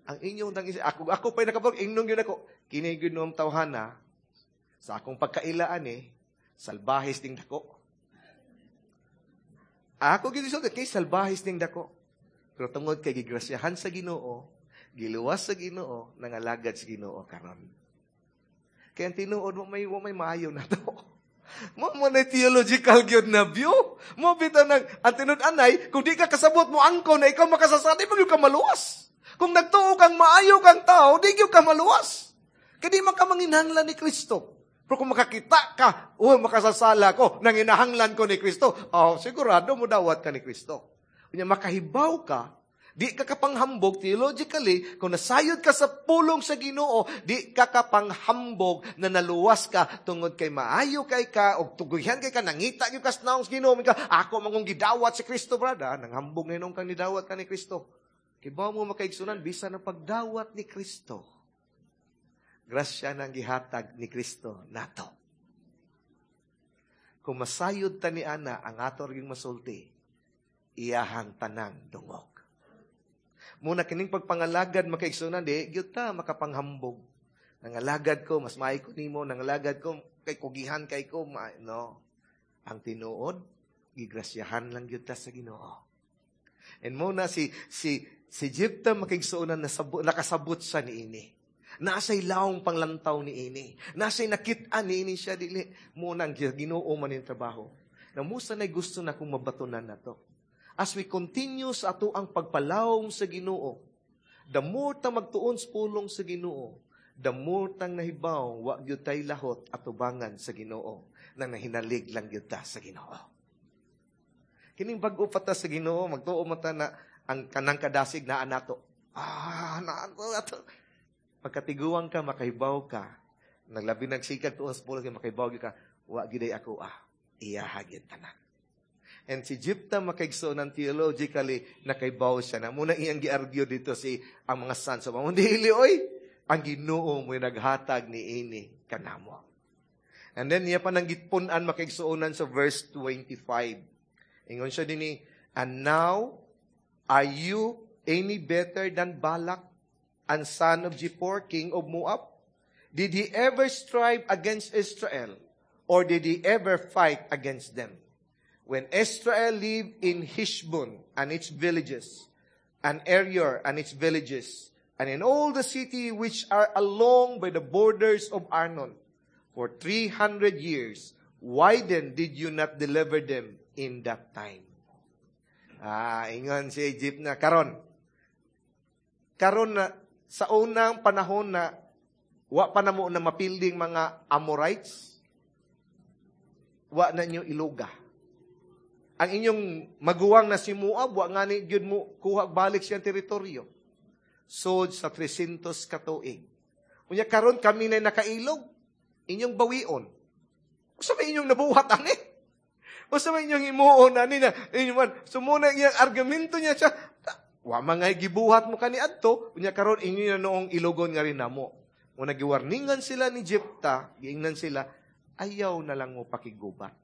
Ang inyong tang ako pa'y nakabog, ingnong yun ako, kini gyud tawhana, sa akong pagkailaan eh, salbahis ning dako. Ako gyud sulti, kay salbahis ning dako. Pero tungod kay gigrasyahan sa Ginoo, giluwas sa Ginoo, nangalagad sa Ginoo karon. Kaya ang tinuod mo may maayo na to. Mo mo na theological gyud na view. Mo bitaw nang ang tinud anay, kung di ka kasabot mo angko na ikaw makasasali, mo gyud ka maluwas. Kung nagtuo kang maayo kang tao, di gyud ka maluwas. Kay di man ka manginahanglan ni Kristo. Pero kung makakita ka, oh, makasasala ko, nanginahanglan ko ni Kristo, oh, sigurado mo dawat ka ni Kristo. Unya makahibaw ka, di ka kapanghambog theologically, kung nasayod ka sa pulong sa Ginoo, di ka kapanghambog na naluwas ka tungod kay maayo kay ka, og tuguyan kay ka, nangita gyud ka sa naong sa Ginoo, ka, ako mangong gidawat si Kristo, brother. Nanghambog na inong kang nidawat ka ni Kristo. Kibaw mo makaigsunan, bisan ang pagdawat ni Kristo. Grasya nang gihatag ni Kristo nato. Kung masayod ta ni ana, ang ato ring masulti, iyahang tanang dungog. Muna kining pagpangalagad makaigsunan, di gyud ta makapanghambog. Nangalagad ko, mas maayo ko nimo, nangalagad ko kay kugihan kay ko, no. Ang tinuod, gigrasyahan lang gyud ta sa Ginoo. And muna si si si Jepta makaigsuonan nakasabot siya niini. Nasa'y lawong panglantaw niini. Nasa'y nakit-an niini siya dili. Muna ang Ginoo man yung trabaho. Na musa na'y gusto na kung mabatunan na to. As we continue sa ato ang pagpalawom sa Ginoo, the more ta magtuon sa pulong sa Ginoo, the more tang nahibaw wa gyud tay lahot atubangan sa Ginoo, nang nahinalig lang gyud ta sa Ginoo. Kining bag-o pa ta sa Ginoo, magtuo man ta na ang kanang kadasig naa nato. Ah, naa ato. Pagkatiguang ka, makahibaw ka, naglabi nagsikag tuon sa pulong, makahibaw gyud ka, wa gyud ay ako ah, iyaha gyud tanan. And si Jepta makaigsuonan theologically, nakaibaw siya na. Muna iyang gi-argue dito si ang mga sons. So, dili, oy, Ang Ginoo mo naghatag ni ini kanamo. And then niya pa nang gitpun-an, makaigsuonan, sa verse 25. Ingon siya dinhi, "And now, are you any better than Balak, and son of Zippor, king of Moab? Did he ever strive against Israel, or did he ever fight against them? When Israel lived in Heshbon and its villages, and Aroer and its villages, and in all the city which are along by the borders of Arnon, for 300 years, why then did you not deliver them in that time?" Ah, ingon si Jeptha, karon. Karon na, sa unang panahon na, wa pa na mo na mapilding mga Amorites, wa na nyo iluga. Ang inyong maguwang na si Moab, wa nga ni gyud mo kuha balik siyang teritoryo. Sod sa 300 katuig. Unya karon kami na nakailog, inyong bawion. Usa may inyong nabuhat ani? Usa may inyong himuon ani na inyo man? So muna iyang argumento niya siya, wa man nga gibuhat mo kani adto, unya karon inyo na noong ilogon nga rin namo. Muna giwarningan sila ni Jepta, giingnan sila, "Ayaw na lang mo pakigubat.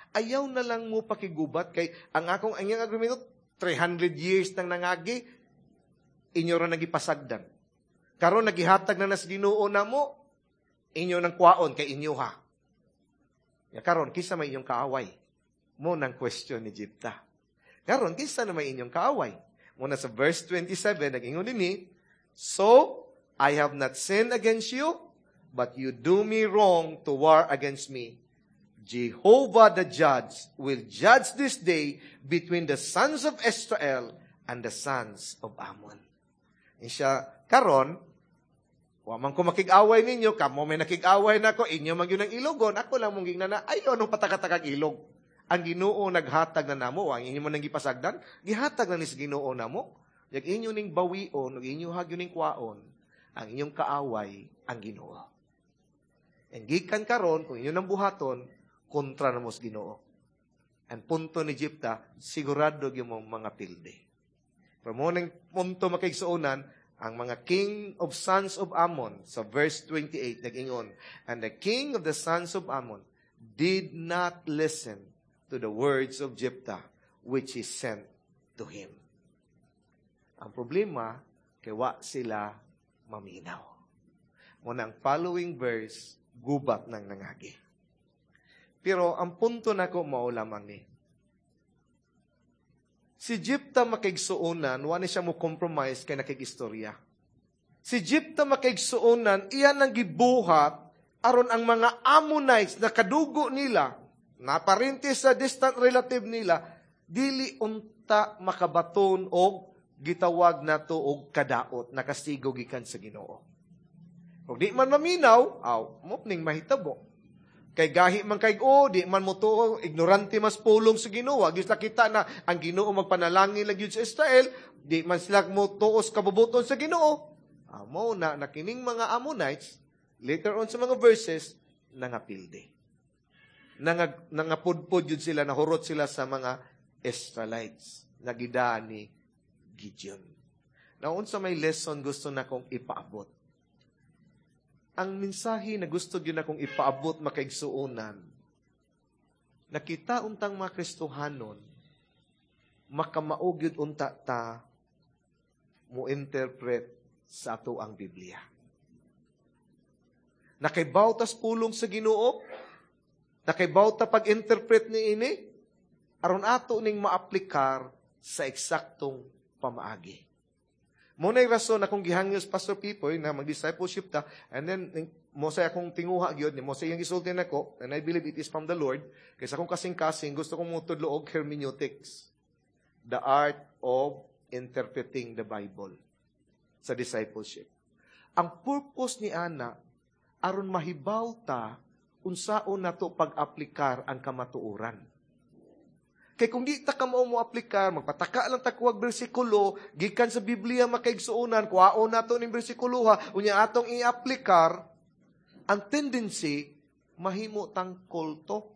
Ayaw na lang mo pakigubat kay ang iyang argumento, 300 years nang nangagi, inyo ra nagipasagdan. Karon nagihatag na nas Ginoo namo, inyo nang kwaon kay inyo ha. Ya karon kinsa may inyong kaaway?" Mo nang question ni Jepta. "Karon kinsa na may inyong kaaway?" Muna sa verse 27 nag-ingon dinhi, "So I have not sinned against you, but you do me wrong to war against me. Jehovah the judge will judge this day between the sons of Israel and the sons of Ammon." Siya, "Karon, wa man ko makig-away ninyo, kamo may nakig-away na ko, inyo man gyud ang ilogon, ako lang mong gingnan na, ayaw nung patakatakag ilog. Ang Ginoo naghatag na namo, ang inyo man nang gipasagdan, gihatag na ni sa Ginoo namo. Yag inyo ning bawion, ug inyo hagyo ning kwaon, ang inyong kaaway, ang Ginoo. Ang gikan karon, kung inyo nang buhaton, kontra na mo sa Ginoo." Ang punto ni Jepta, sigurado gyud mo mga pilde. Pero mo ning punto, makaigsuonan, ang mga king of sons of Ammon, sa verse 28, nag-ingon, "And the king of the sons of Ammon did not listen to the words of Jephthah, which he sent to him." Ang problema, kay wa sila maminaw. Mo ang following verse, gubat ng nangagi. Pero ang punto nako mao lamang ni, si Jepta, makaigsuonan, wa ni siya mo compromise kay nakig-istorya. Si Jepta, makaigsuonan, iyan ang gibuhat aron ang mga Ammonites na kadugo nila, na parente sa distant relative nila, dili unta makabaton og gitawag nato og kadaot na kastigo gikan sa Ginoo. Kung di man maminaw, aw, mo ning mahitabo. Kay gahi man kay o, di man mo tuo, ignorante mas pulong sa Ginoo. Gyud kita na ang Ginoo magpanalangin lang gyud sa Israel, di man sila mo tuos kabubuton sa Ginoo. Amo na na kining mga Ammonites, later on sa mga verses, nangapilde. Nangapudpod yun sila, nahurot sila sa mga Israelites. Nagida ni Gideon. Now, unsa may lesson gusto na kong ipaabot? Ang mensahe na gusto gyud akong ipaabot, makaigsuonan, nakita untang mga Kristohanon, makamao gyud unta ta mo interpret sa ato ang Biblia. Nakaibaw tas pulong sa Ginoo, nakaibaw ta pag-interpret ni ini, aron ato ning maaplikar sa eksaktong pamaagi. Mo na rason akong gihangyos, Pastor Pipoy, na mag-discipleship ta, and then mo sa akong tinguha gyud ni mo sa iyang gisulti nako, and I believe it is from the Lord, kay sa akong kasing-kasing gusto kong motudlo og hermeneutics, the art of interpreting the Bible sa discipleship. Ang purpose ni ana aron mahibaw ta unsaon nato pag-aplikar ang kamatuoran. Kay kung di ta kamao mo aplikar, magpataka lang ta kuwag bersikulo, gikan sa Biblia, makaigsuonan, kuhaon nato ning bersikulo ha, unya atong i-aplikar, ang tendency, mahimo tang kulto.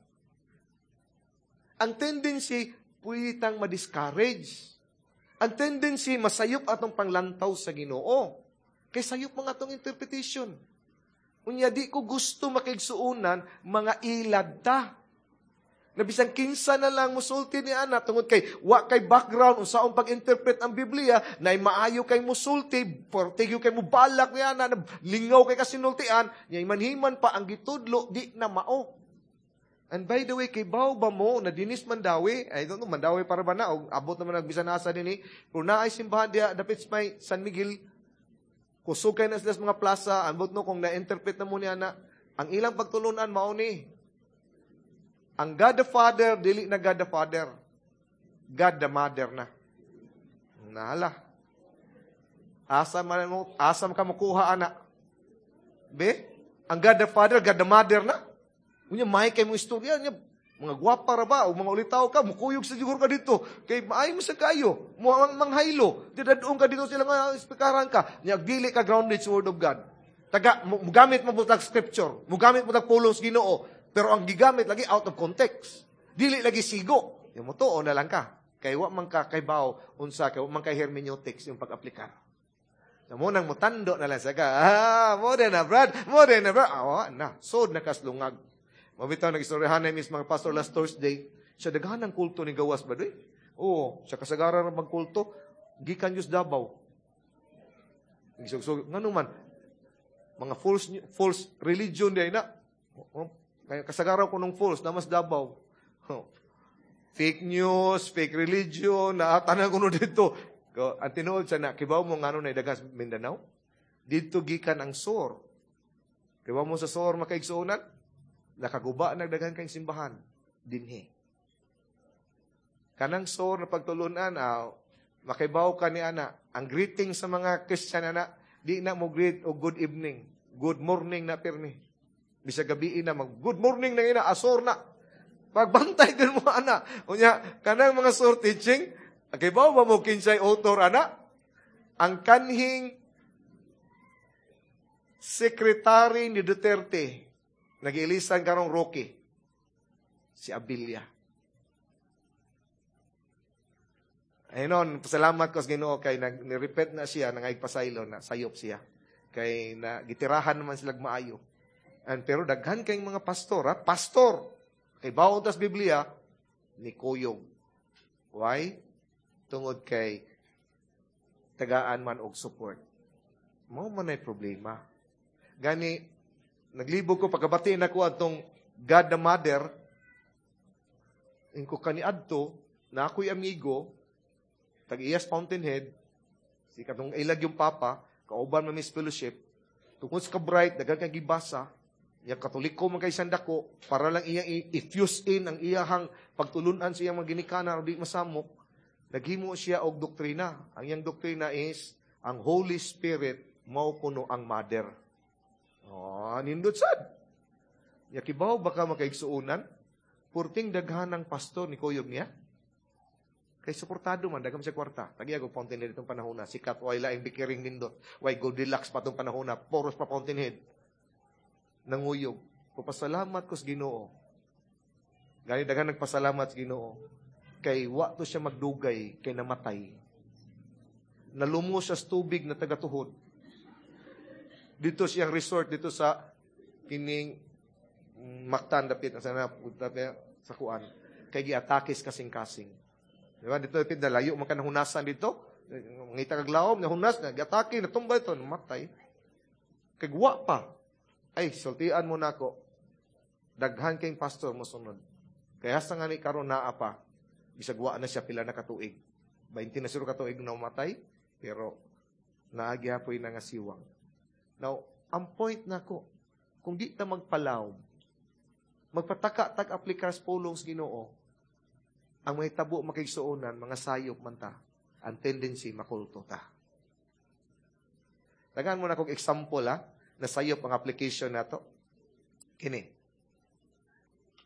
Ang tendency, pwede tang ma-discourage. Ang tendency, masayop atong panglantaw sa Ginoo. Kay sayop mga atong interpretation. Unya di ko gusto makigsuonan mga ilad ta. Na bisan kinsa na lang musulti ni ana tungod kay wa kay background unsaon pag-interpret ang Biblia, na maayo kay musulti, portigyo kay mubalak ni ana, na lingaw kay kasinultian, nya manhiman pa ang gitudlo di na mao. And by the way, kay baw ba mo na dinis Mandaue, I don't know, Mandaue para ba na, o abot naman nagbisan asa dinhi, pero naay simbahan diha dapit sa may San Miguel, kusog kay na sila sa mga plaza, ambot no kung na-interpret na mo niya na, ang ilang pagtulunan mao ni, ang God the Father, dili na God the Father. God the Mother na. Nahala. Asa man mo, asa man ka makuha ana. Be? Ang God the Father, God the Mother na. Unya may kay mo istorya niya, mga gwapa ra ba o mga ulitaw ka, mukuyog sa siguro ka dito. Kay maayo mo sa kayo, mo ang manghaylo. Didadong ka dito sila nga spikaran ka. Nya dili ka grounded sa Word of God. Taga mugamit mo butag scripture, mugamit mo tag pulong sa Ginoo. Pero ang gigamit lagi out of context. Dili lagi sigo. Yung mo tuo na lang ka. Kay wa man ka kay baw unsa kay wa man kay hermeneutics yung pag-aplikar. So, mo nang mutando na lang sa ka. Ah, mo na brad, mo na brad. Ah, na sod na kaslungag. Mabitaw nag-istoryahan na mis mga pastor last Thursday. Sa daghan ng kulto ni gawas ba doy? Oo, sa kasagaran ng magkulto, gikan Diyos Davao. Gisugsug ngano man mga false false religion di na. Kaya kasagaran ko nung false, namas Davao. Fake news, fake religion, naatanan ko no dito. Ang tinuod sa na, kibaw mo ngano na idagas Mindanao? Dito gikan ang sor. Kibaw mo sa sor makaigsuonan? Nakaguba nagdagan kang simbahan. Dinhi. Kanang sor na pagtulunan, makibaw ka ni ana, ang greeting sa mga Christian ana, di na mo greet o good evening, good morning na pirmi. Bisag gabi na mag good morning na ina asor na. Pagbantay din mo ana. Unya kanang mga sor teaching, kibaw ba mo kinsay author ana? Ang kanhing sekretary ni Duterte, nag-iilisan karong Roque, si Abilla. Ayun nun, pasalamat ko sa Ginoo kay nag-repeat na siya, nangaypasaylo na sayop siya. Kay na gitirahan naman sila maayo. And pero daghan kayong mga pastor, ha? Pastor, kay bawon tas Biblia, ni kuyog. Why? Tungod kay tagaan man og support. Mao man ay problema. Gani, naglibog ko, pagkabati na ko atong God the Mother, ingko kaniadto, na ako'y amigo, tag-iyas Fountainhead, si katong ilag yung papa, kauban man mis fellowship, tungod sa ka-bright, daghan kang gibasa, iya Katoliko man kay sandako, para lang iyang i-fuse in ang iyahang pagtulunan sa iyang mga ginikanan o di masamok, naghimo siya og doktrina. Ang iyang doktrina is, ang Holy Spirit mao kuno ang mother. Oh, nindot sad. Yakibaw baka makaigsuonan, purting daghan ng pastor ni kuyog niya. Kay suportado man, daghan siya kwarta. Tagiya ko Fountainhead itong panahon na. Sikat, way laing bikiring nindot. Way Goldilocks pa itong panahon na. Poros pa Fountainhead. Nanguyog. Papasalamat ko sa Ginoo. Gani daghan nagpasalamat sa Ginoo. Kay wa to siya magdugay, kay namatay. Nalumo siya sa tubig na tagatuhod. Dito siyang resort, dito sa kining Mactan, dapit, sa, sa kuan. Kay giatakis kasing-kasing. Diba? Dito, dapit, nalayo, man ka nahunasan dito. Ngita kag laom, nahunas, giatake, natumba ito, namatay. Kay wa pa. Ay, sultian mo na ako. Daghan kayong pastor mo sunod. Kaya sa nga ni karon naa pa, bisag wa na siya pila na katuig. 20 na siguro katuig na umatay, pero naagyapoy na nga siwang. Now, ang point nako, kung di ta magpalawom, magpataka tag aplikar sa pulong sa Ginoo, ang may tabo makigsuonan, mga sayop man ta, ang tendency makulto ta. Tagaan mo na kong example ha, na sayop ang application nato. Kini.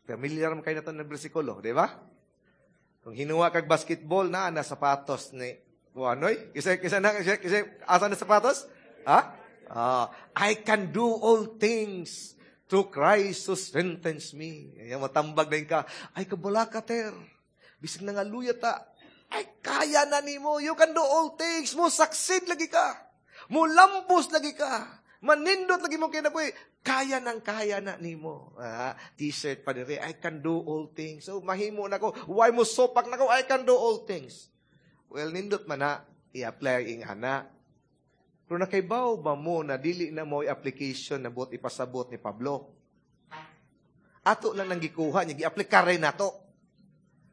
Familiar man kayo na ito ng bersikulo, di ba? Kung hinuwa kag basketball na, na sapatos ni Juanoy. Kasi, kasi, na, kasi, kasi, asa na sapatos? Ha? I can do all things through Christ who strengthens me. Ayan, matambag na ka. Ay, kabala ka, ter. Bisag na nga luya ta. Ay, kaya na nimo. You can do all things. Mo succeed lagi ka. Mulambos lagi ka. Manindot lagi mo kinabuhi. Kaya nang kaya na nimo. Ah, T-shirt pa diri, "I can do all things." So mahimo na ko. Why mo sopak na ko? I can do all things. Well, nindot man na i-apply ing ana. Pero nakaibaw ba mo na dili na mo application na buot ipasabot ni Pablo? Ato lang nang gikuha niya, gi-aplikar rin nato.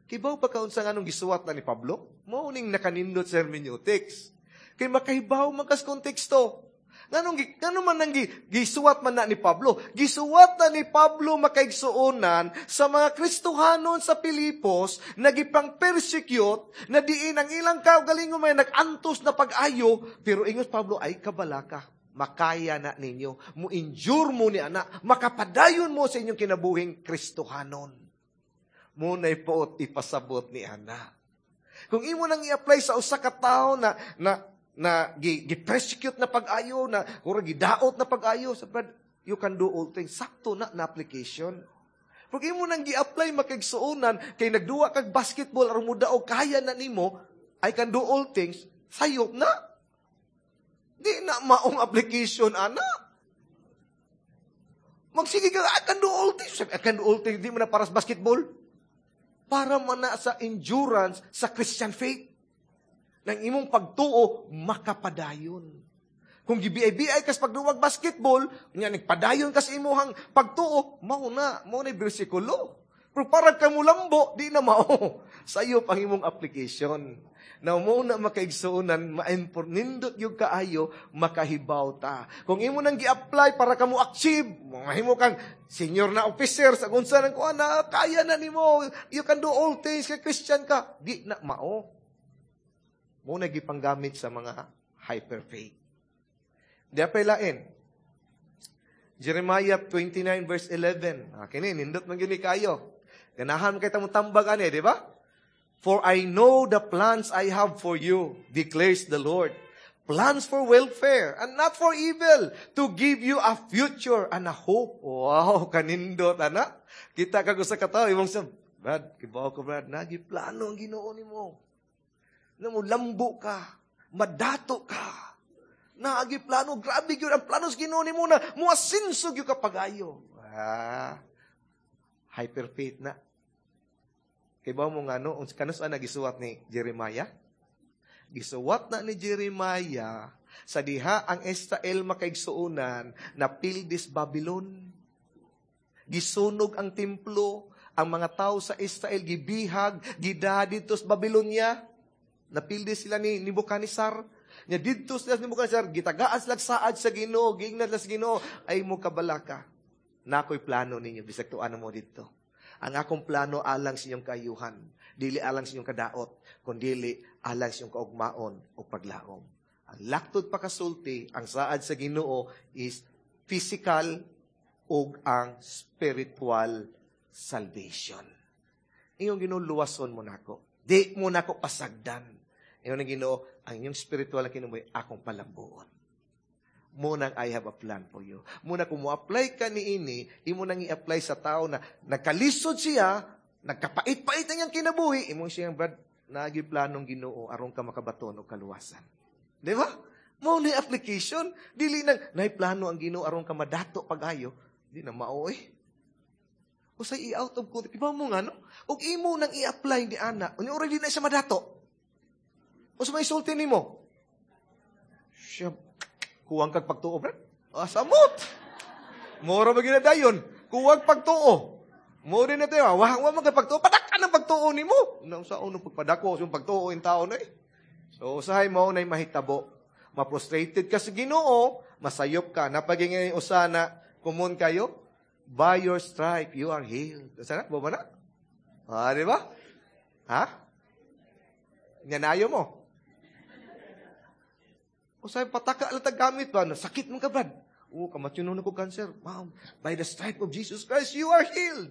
Kibaw pa ka unsa nga nung gisuwat na ni Pablo? Mao ning nakanindot sa hermeneutics. Kay makahibaw man kas konteksto. Nganong man nang gisuwat man na ni Pablo? Gisuwat na ni Pablo, makaigsuonan, sa mga Kristohanon sa Pilipos na gipang persecute, na diin ang ilang kaugalingon may nag-antos na pag-ayo, pero ingos Pablo, "Ay kabalaka, makaya na ninyo, mo endure mo ni ana, makapadayon mo sa inyong kinabuhing Kristohanon." Mo na ipuot ipasabot ni ana. Kung imo nang i-apply sa usa ka tawo na gi-persecute na pag-ayo, na murag gidaot na pag-ayo, sa Brad, you can do all things. Sakto na na application. Pag imo nang gi-apply, makaigsuonan, kay nagduwa kag basketball aron mo daog, kaya na nimo, "I can do all things," sayop na. Di na maong application, ana. Magsige ka, "I can do all things." "I can do all things," di mo na para sa basketball. Para man na sa endurance sa Christian faith. Nang imong pagtuo, makapadayon. Kung gibiay-biay kas pagduwag basketball, nya nagpadayon kas imuhang pagtuo, mao na bersikulo. Pero para ka mulambo, di na mao. Sayop ang imong application. Na mo na, makaigsuonan, nindot yung kaayo, makahibaw ta. Kung imo nang gi-apply para ka mo achieve, mahimo kang senior na officer sa kung saan kuan na, kaya na nimo, you can do all things, kay Christian ka. Di na mao. Mo na gipanggamit sa mga hyper faith. Di pa lain. Jeremiah 29 verse 11. Ah, kini nindot man gyud ni kayo. Ganahan kay tamo tambag ani, di ba? "For I know the plans I have for you, declares the Lord. Plans for welfare and not for evil, to give you a future and a hope." Wow, kanindot, ana. Kita ka sa katawo, imong sa, "Brad, kibaw ko, Brad, nagi plano ang Ginoo nimo. Na mo lambo ka, madato ka. Naagi plano, grabe gyud ang plano sa Ginoo nimo na muasinso gyud ka pagayo." Ah, hyper faith na. Kay ba mo nga no, kanus na gisuwat ni Jeremiah? Gisuwat na ni Jeremiah sa diha ang Israel, makaigsuonan, na pildis Babylon. Gisunog ang templo, ang mga tao sa Israel gibihag, gida didto sa Babylonia. Napildi sila ni Nebuchadnezzar. Nya didto sila ni Nebuchadnezzar, gitagaan sila saad sa Ginoo, giingnan sila sa Ginoo, "Ay mo kabalaka. Nakoy plano ninyo bisag tuan mo didto. Ang akong plano alang sa inyong kaayuhan, dili alang sa inyong kadaot, kundili alang sa inyong kaugmaon o paglaom." Ang laktod pakasulti, ang saad sa Ginoo is physical ug ang spiritual salvation. Iyong Ginoo, "Luwason mo nako. Di mo nako pasagdan." Ingon ng Ginoo, "Ang inyong spiritual na kinabuhi, akong palambuon." Mo nang I have a plan for you. Muna kung mo-apply ka ni ini, imo nang i-apply sa tao na nagkalisod siya, nagkapait-pait ang iyang kinabuhi, imo siyang, "Brad, naagi planong Ginoo aron ka makabaton og kaluwasan." Di ba? Mo ni application, dili nang nay plano ang Ginoo aron ka madato pag-ayo, di na mao eh. Usay i-out of context. Iba mo nga, no? Ug imo nang i-apply ni ana, unya already na siya madato. Unsa may sulti nimo? Siya, kuwang kag pagtuo, Brad. Ah, samot. Mora ba dayon? Kuwang pagtuo. Mo rin na tayo, wa man kay pagtuo, padak ng pagtuo nimo. Nang sa unong pagpadako, yung pagtuo in tao na eh. So, usahay mo na mahitabo. Ma-frustrated ka sa Ginoo, masayop ka. Napagingay usana, common kayo, "By your stripe, you are healed." Sana? Ba na? Ah, di ba? Ha? Nyanayo mo. Usay pataka lang gamit ba? Sakit mo ka, Brad. Oh, kamatyon na ko cancer. Wow. By the stripe of Jesus Christ, you are healed.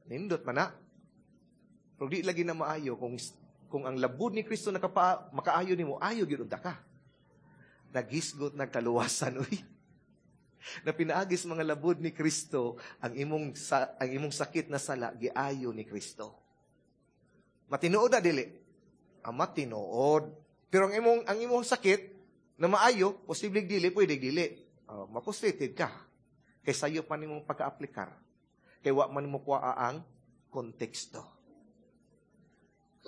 Nindot man na. Pero di lagi na maayo kung ang labud ni Kristo makaayo nimo, ayo gyud unta ka. Naghisgot nagkaluwasan uy. Na pinaagis mga labud ni Kristo ang imong sakit na sala giayo ni Kristo. Matinuod na dili? Ang matinuod. Pero ang imong sakit Na maayo, posible dili, pwede dili. Mapustrated ka. Kay sayo pa nimong pagka-aplikar. Kay wa man mo kuha ang konteksto.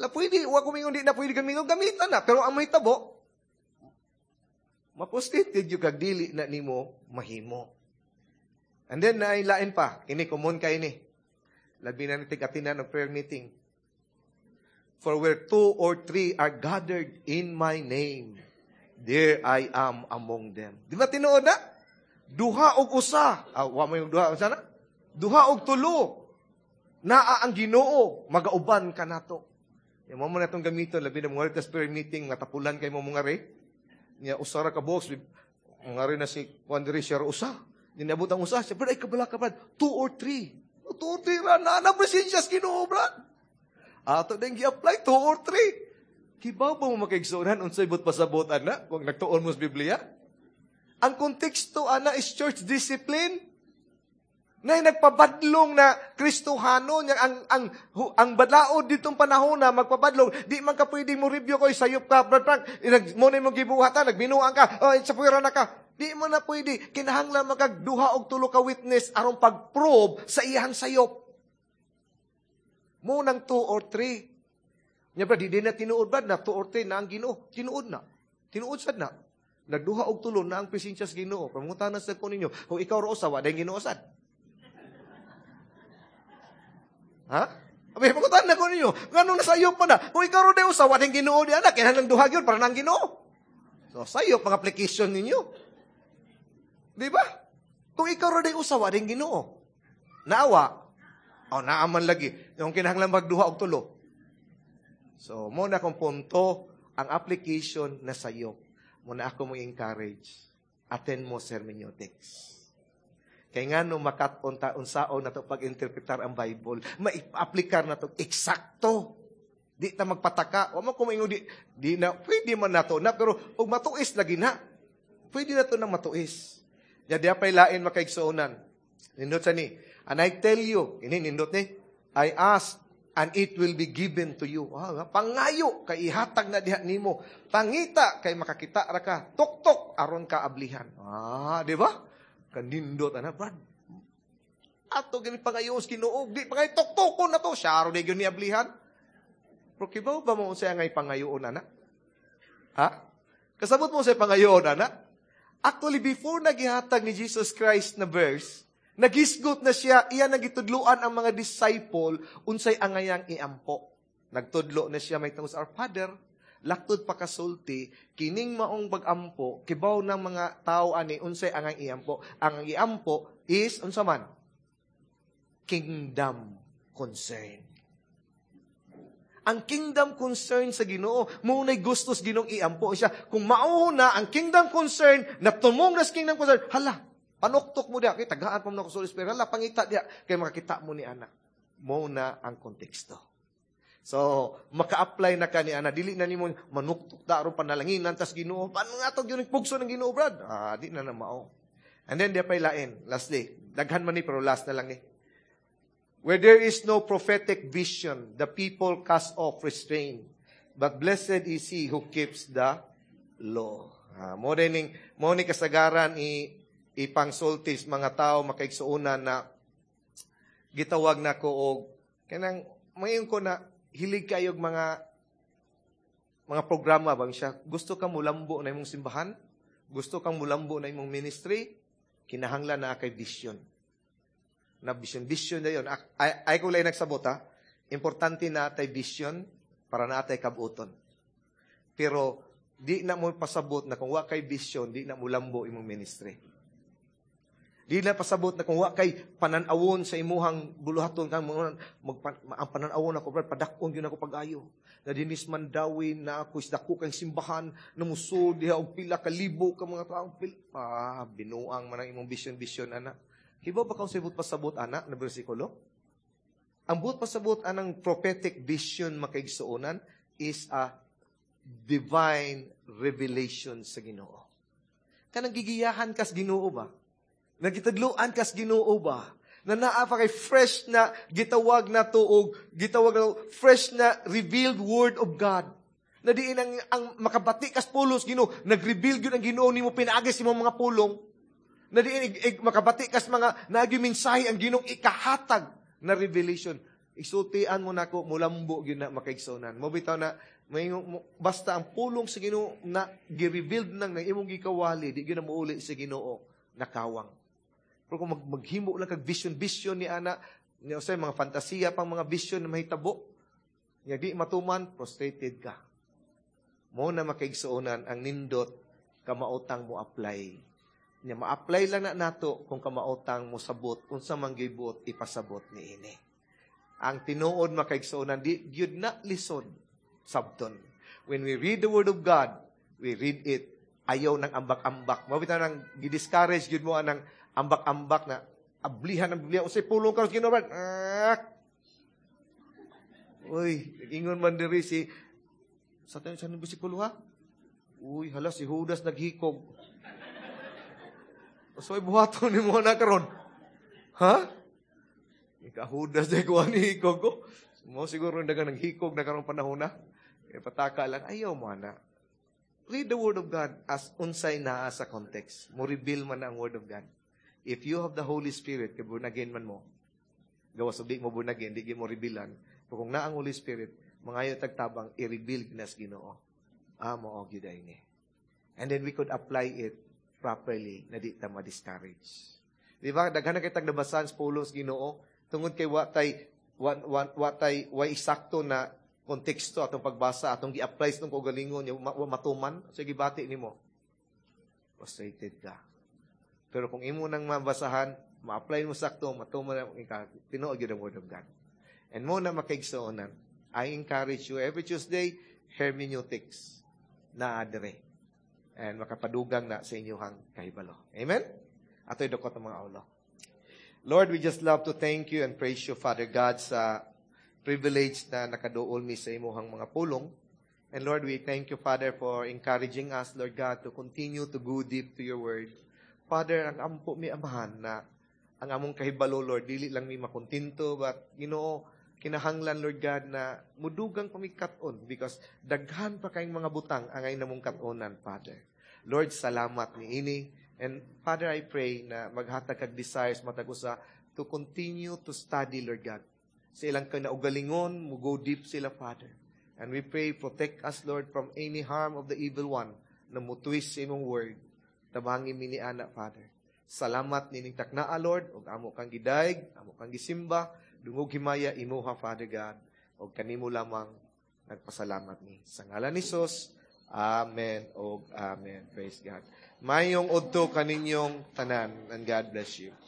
La pwede, wa ko mingon di na pwede gamiton, gamitan na. Pero ang mahitabo, mapustrated yung kag dili na nimo mahimo. And then, nailain pa. Kini, common kay ni. Labi na ni tig-atinan ng prayer meeting. "For where two or three are gathered in my name, there I am among them." Di ba tinuod na? Duha og usa. Ah, wa mo yung duha. Unsa na? Duha og tulo. Naa ang Ginoo, magauban ka nato. Yung mo na itong gamiton, labi na mga prayer meeting, matapulan kay mo mga re. Nya usa ra ka box, mga re na si Juan diri siya usa. Ninabot ang usa, siya, "Brad, ay kabala ka, Brad. Two or three. Two or three ra, na presensya sa Ginoo, Brad." Ato din gi-apply, two or three. Kibaw ba mo, makaigsuonan, unsay buot pasabot ana kung nagtuon mo sa Biblia? Ang konteksto ana is church discipline. Na nagpabadlong na Kristohano niya ang balaod ditong panahon na magpabadlong, di man ka pwedeng mo review ko, sayop ka, Brad Frank, nag mo na imong gibuhatan, nagbinuang ka, oh, sa puwera na ka. Di mo na pwede, kinahanglan magag duha og tulo ka witness aron pag-prove sa iyang sayop mo nang two or three. Nya ba di na tinuod ba na two or three na ang Ginoo? Tinuod na. Tinuod sad na. Nagduha og tulo na ang presensya sa Ginoo. Pangutana sa ko ninyo, kung ikaw ro usa, wa Ginoo sad? Ha? Abi, pangutana ko ninyo, ngano nasayop pa na? Kung ikaw ro day usa, wa Ginoo di ana, kinahanglan duha gyud para nang Ginoo. So sayop ang application ninyo. Di ba? Kung ikaw ro day usa, wa Ginoo. Naawa. O, naaman lagi. Yung kinahanglan magduha og tulo. So, mo na kong punto, ang application na sayo. Mo na ako mo encourage. Attend mo hermeneutics. Kay nga no makat-on ta unsaon na to pag-interpretar ang Bible, mai-aplikar na to eksakto. Di ta magpataka. Wa man ko maingon di na pwede man nato na, pero og matuis lagi na. Pwede na to na matuis. Ya di pay lain, makaigsuonan. Nindot sa ni. "And I tell you," ini nindot ni, "I ask and it will be given to you." Ah, pangayo kay ihatag na diha nimo. Pangita kay makakita ra ka. Tuktok aron ka ablihan. Ah, di ba? Kanindot ana, Brad. Ato gani pangayo sa Ginoo, di pa kay tuktokon na to, siya ro di gyud ni ablihan. Pero kibaw ba mo unsay ngay pangayoon ana? Ha? Kasabot mo sa pangayoon ana? Actually, before nagihatag ni Jesus Christ na verse, nagisgot na siya, iya nagitudluan ang mga disciple unsay angayang iampo. Nagtudlo na siya may tungod sa Our Father, laktod pa kasulti, kining maong pag-ampo, kibaw ng mga tao ani unsay angayang iampo. Ang iampo is unsa man? Kingdom concern. Ang kingdom concern sa Ginoo, mo na'y gusto sa Ginoong iampo siya. Kung mauna ang kingdom concern, na tumong na sa kingdom concern, hala, panuktok mo diya, kay tagaan pa mo na ko sa Holy Spirit, hala, pangita diya, kay makakita mo ni ana. Mo na ang konteksto. So, maka-apply na ka ni ana, dili na nimo manuktok da aron panalanginan tas Ginoo. Paano nga to gyud pugso ng Ginoo, Brad? Ah, di na na mao. And then di pay lain, lastly, daghan man ni pero last na lang ni. "Where there is no prophetic vision, the people cast off restraint. But blessed is he who keeps the law." Ah, mo ning mo ni kasagaran i ipangsultis mga tao, makaigsuonan, na gitawag na ko og kanang mayon ko na hilig kayo mga programa bang siya, gusto kang mulambo na imong simbahan, gusto kang mulambo na imong ministry, kinahanglan na kay vision na vision. Vision na yun. Ay ko lang nagsabot ha. Importante na atay vision para na atay kabuton. Pero di na mo pasabot na kung wa kay vision, di na mo lambo imong ministry. Di na pasabot na kung wa kay pananawon sa imuhang buluhaton kang ang pananawon ako, Brad, padak-on gyud ako pag-ayo. Na dinis man dawin na ako is dako kang simbahan na musod diha og pila ka libo ka mga tawo. Ah, binuang man ang imong vision ana. Hibaw ba kang sa buot pasabot ana na bersikulo? Ang buot pasabot anang prophetic vision, makaigsuonan, is a divine revelation sa Ginoo. Kanang gigiyahan kas Ginoo ba? Nagitadluan kas Ginoo ba? Na naa pa kay fresh na gitawag na tuog, gitawag na fresh na revealed word of God. Na diin ang makabati kas pulos Ginoo, nag-reveal gyud ang Ginoo nimo pinaagi sa imong mga pulong. Na diin makabati kas mga naagi mensahe ang Ginoo ikahatag na revelation. Isultian mo nako, mulambo gyud na, makaigsuonan. Mo bitaw na may basta ang pulong sa Ginoo na gi-revealed nang nang imong gikawali, di gyud na muuli sa Ginoo nakawang. Pero kung maghimo lang kag vision vision ni ana, niya usay mga fantasiya pang mga vision na mahitabo, nya di matuman, frustrated ka. Mo na, makaigsuonan, ang nindot kamaotang mo apply. Nya ma-apply lang na nato kung kamaotang mo sabot unsa man gibuot ipasabot niini. Ang tinuod, makaigsuonan, di gyud na lisod sabton. When we read the Word of God, we read it ayaw ng ambak-ambak. Mao bitaw nang gi-discourage gyud mo anang ambak-ambak na ablihan ang Biblia. Unsay pulong karon Ginoo? Ah! Uy, ingon man diri si sa tayo sa bersikulo ha? Uy, hala, si Judas naghikog. So, buhaton nimo na karon? Ha? Ika Judas day kuha ni hikog ko. Mo siguro daga naghikog na karong panahon na. Kaya pataka lang, ayaw mo na. Read the Word of God as unsay naa sa context. Mo reveal man ang Word of God. If you have the Holy Spirit, kay born again man mo. Gawas di mo born again, di mo revealan. Pero kung naa ang Holy Spirit, mangayo tagtabang, i-reveal nas Ginoo. Ah, mo og gyud ni. And then we could apply it properly na di ta ma-discourage. Di ba? Daghan na kay tag nabasan sa pulong sa Ginoo tungod kay wa tay wa, wa, wa tay way eksakto na konteksto atong pagbasa, atong gi-apply sa atong kaugalingon, wa matuman sa gibati nimo. Frustrated ka. Pero kung imo nang mabasahan, ma-apply mo sakto, matuman na ika, tinuod gyud ang Word of God. And mo na, makaigsuonan, I encourage you every Tuesday, hermeneutics na adre. And makapadugang na sa inyong kahibalo. Amen? Ato'y dukot ang mga ulo. Lord, we just love to thank you and praise you, Father God, sa privilege na nakaduol mi sa imuhang mga pulong. And Lord, we thank you, Father, for encouraging us, Lord God, to continue to go deep to your word. Father, ang ampo mi, Amahan, na ang among kahibalo, Lord, dili lang mi makontento, but, Ginoo, kinahanglan, Lord God, na mudugang pa mi kat-on because daghan pa kayong mga butang angay namong kat-onan, Father. Lord, salamat ni ini. And Father, I pray na maghatag kag desires matag usa to continue to study, Lord God. Sa ilang kinaugalingon, mo go deep sila, Father. And we pray, protect us, Lord, from any harm of the evil one na mutwist sa imong word. Tabangi mi ni ana, Father. Salamat nining taknaa, Lord, ug amo kang gidayeg, amo kang gisimba, dungog himaya imuha, Father God, ug kanimo lamang nagpasalamat ni. Sa ngalan ni Jesus, Amen og Amen. Praise God. Mayong udto kaninyong tanan and God bless you.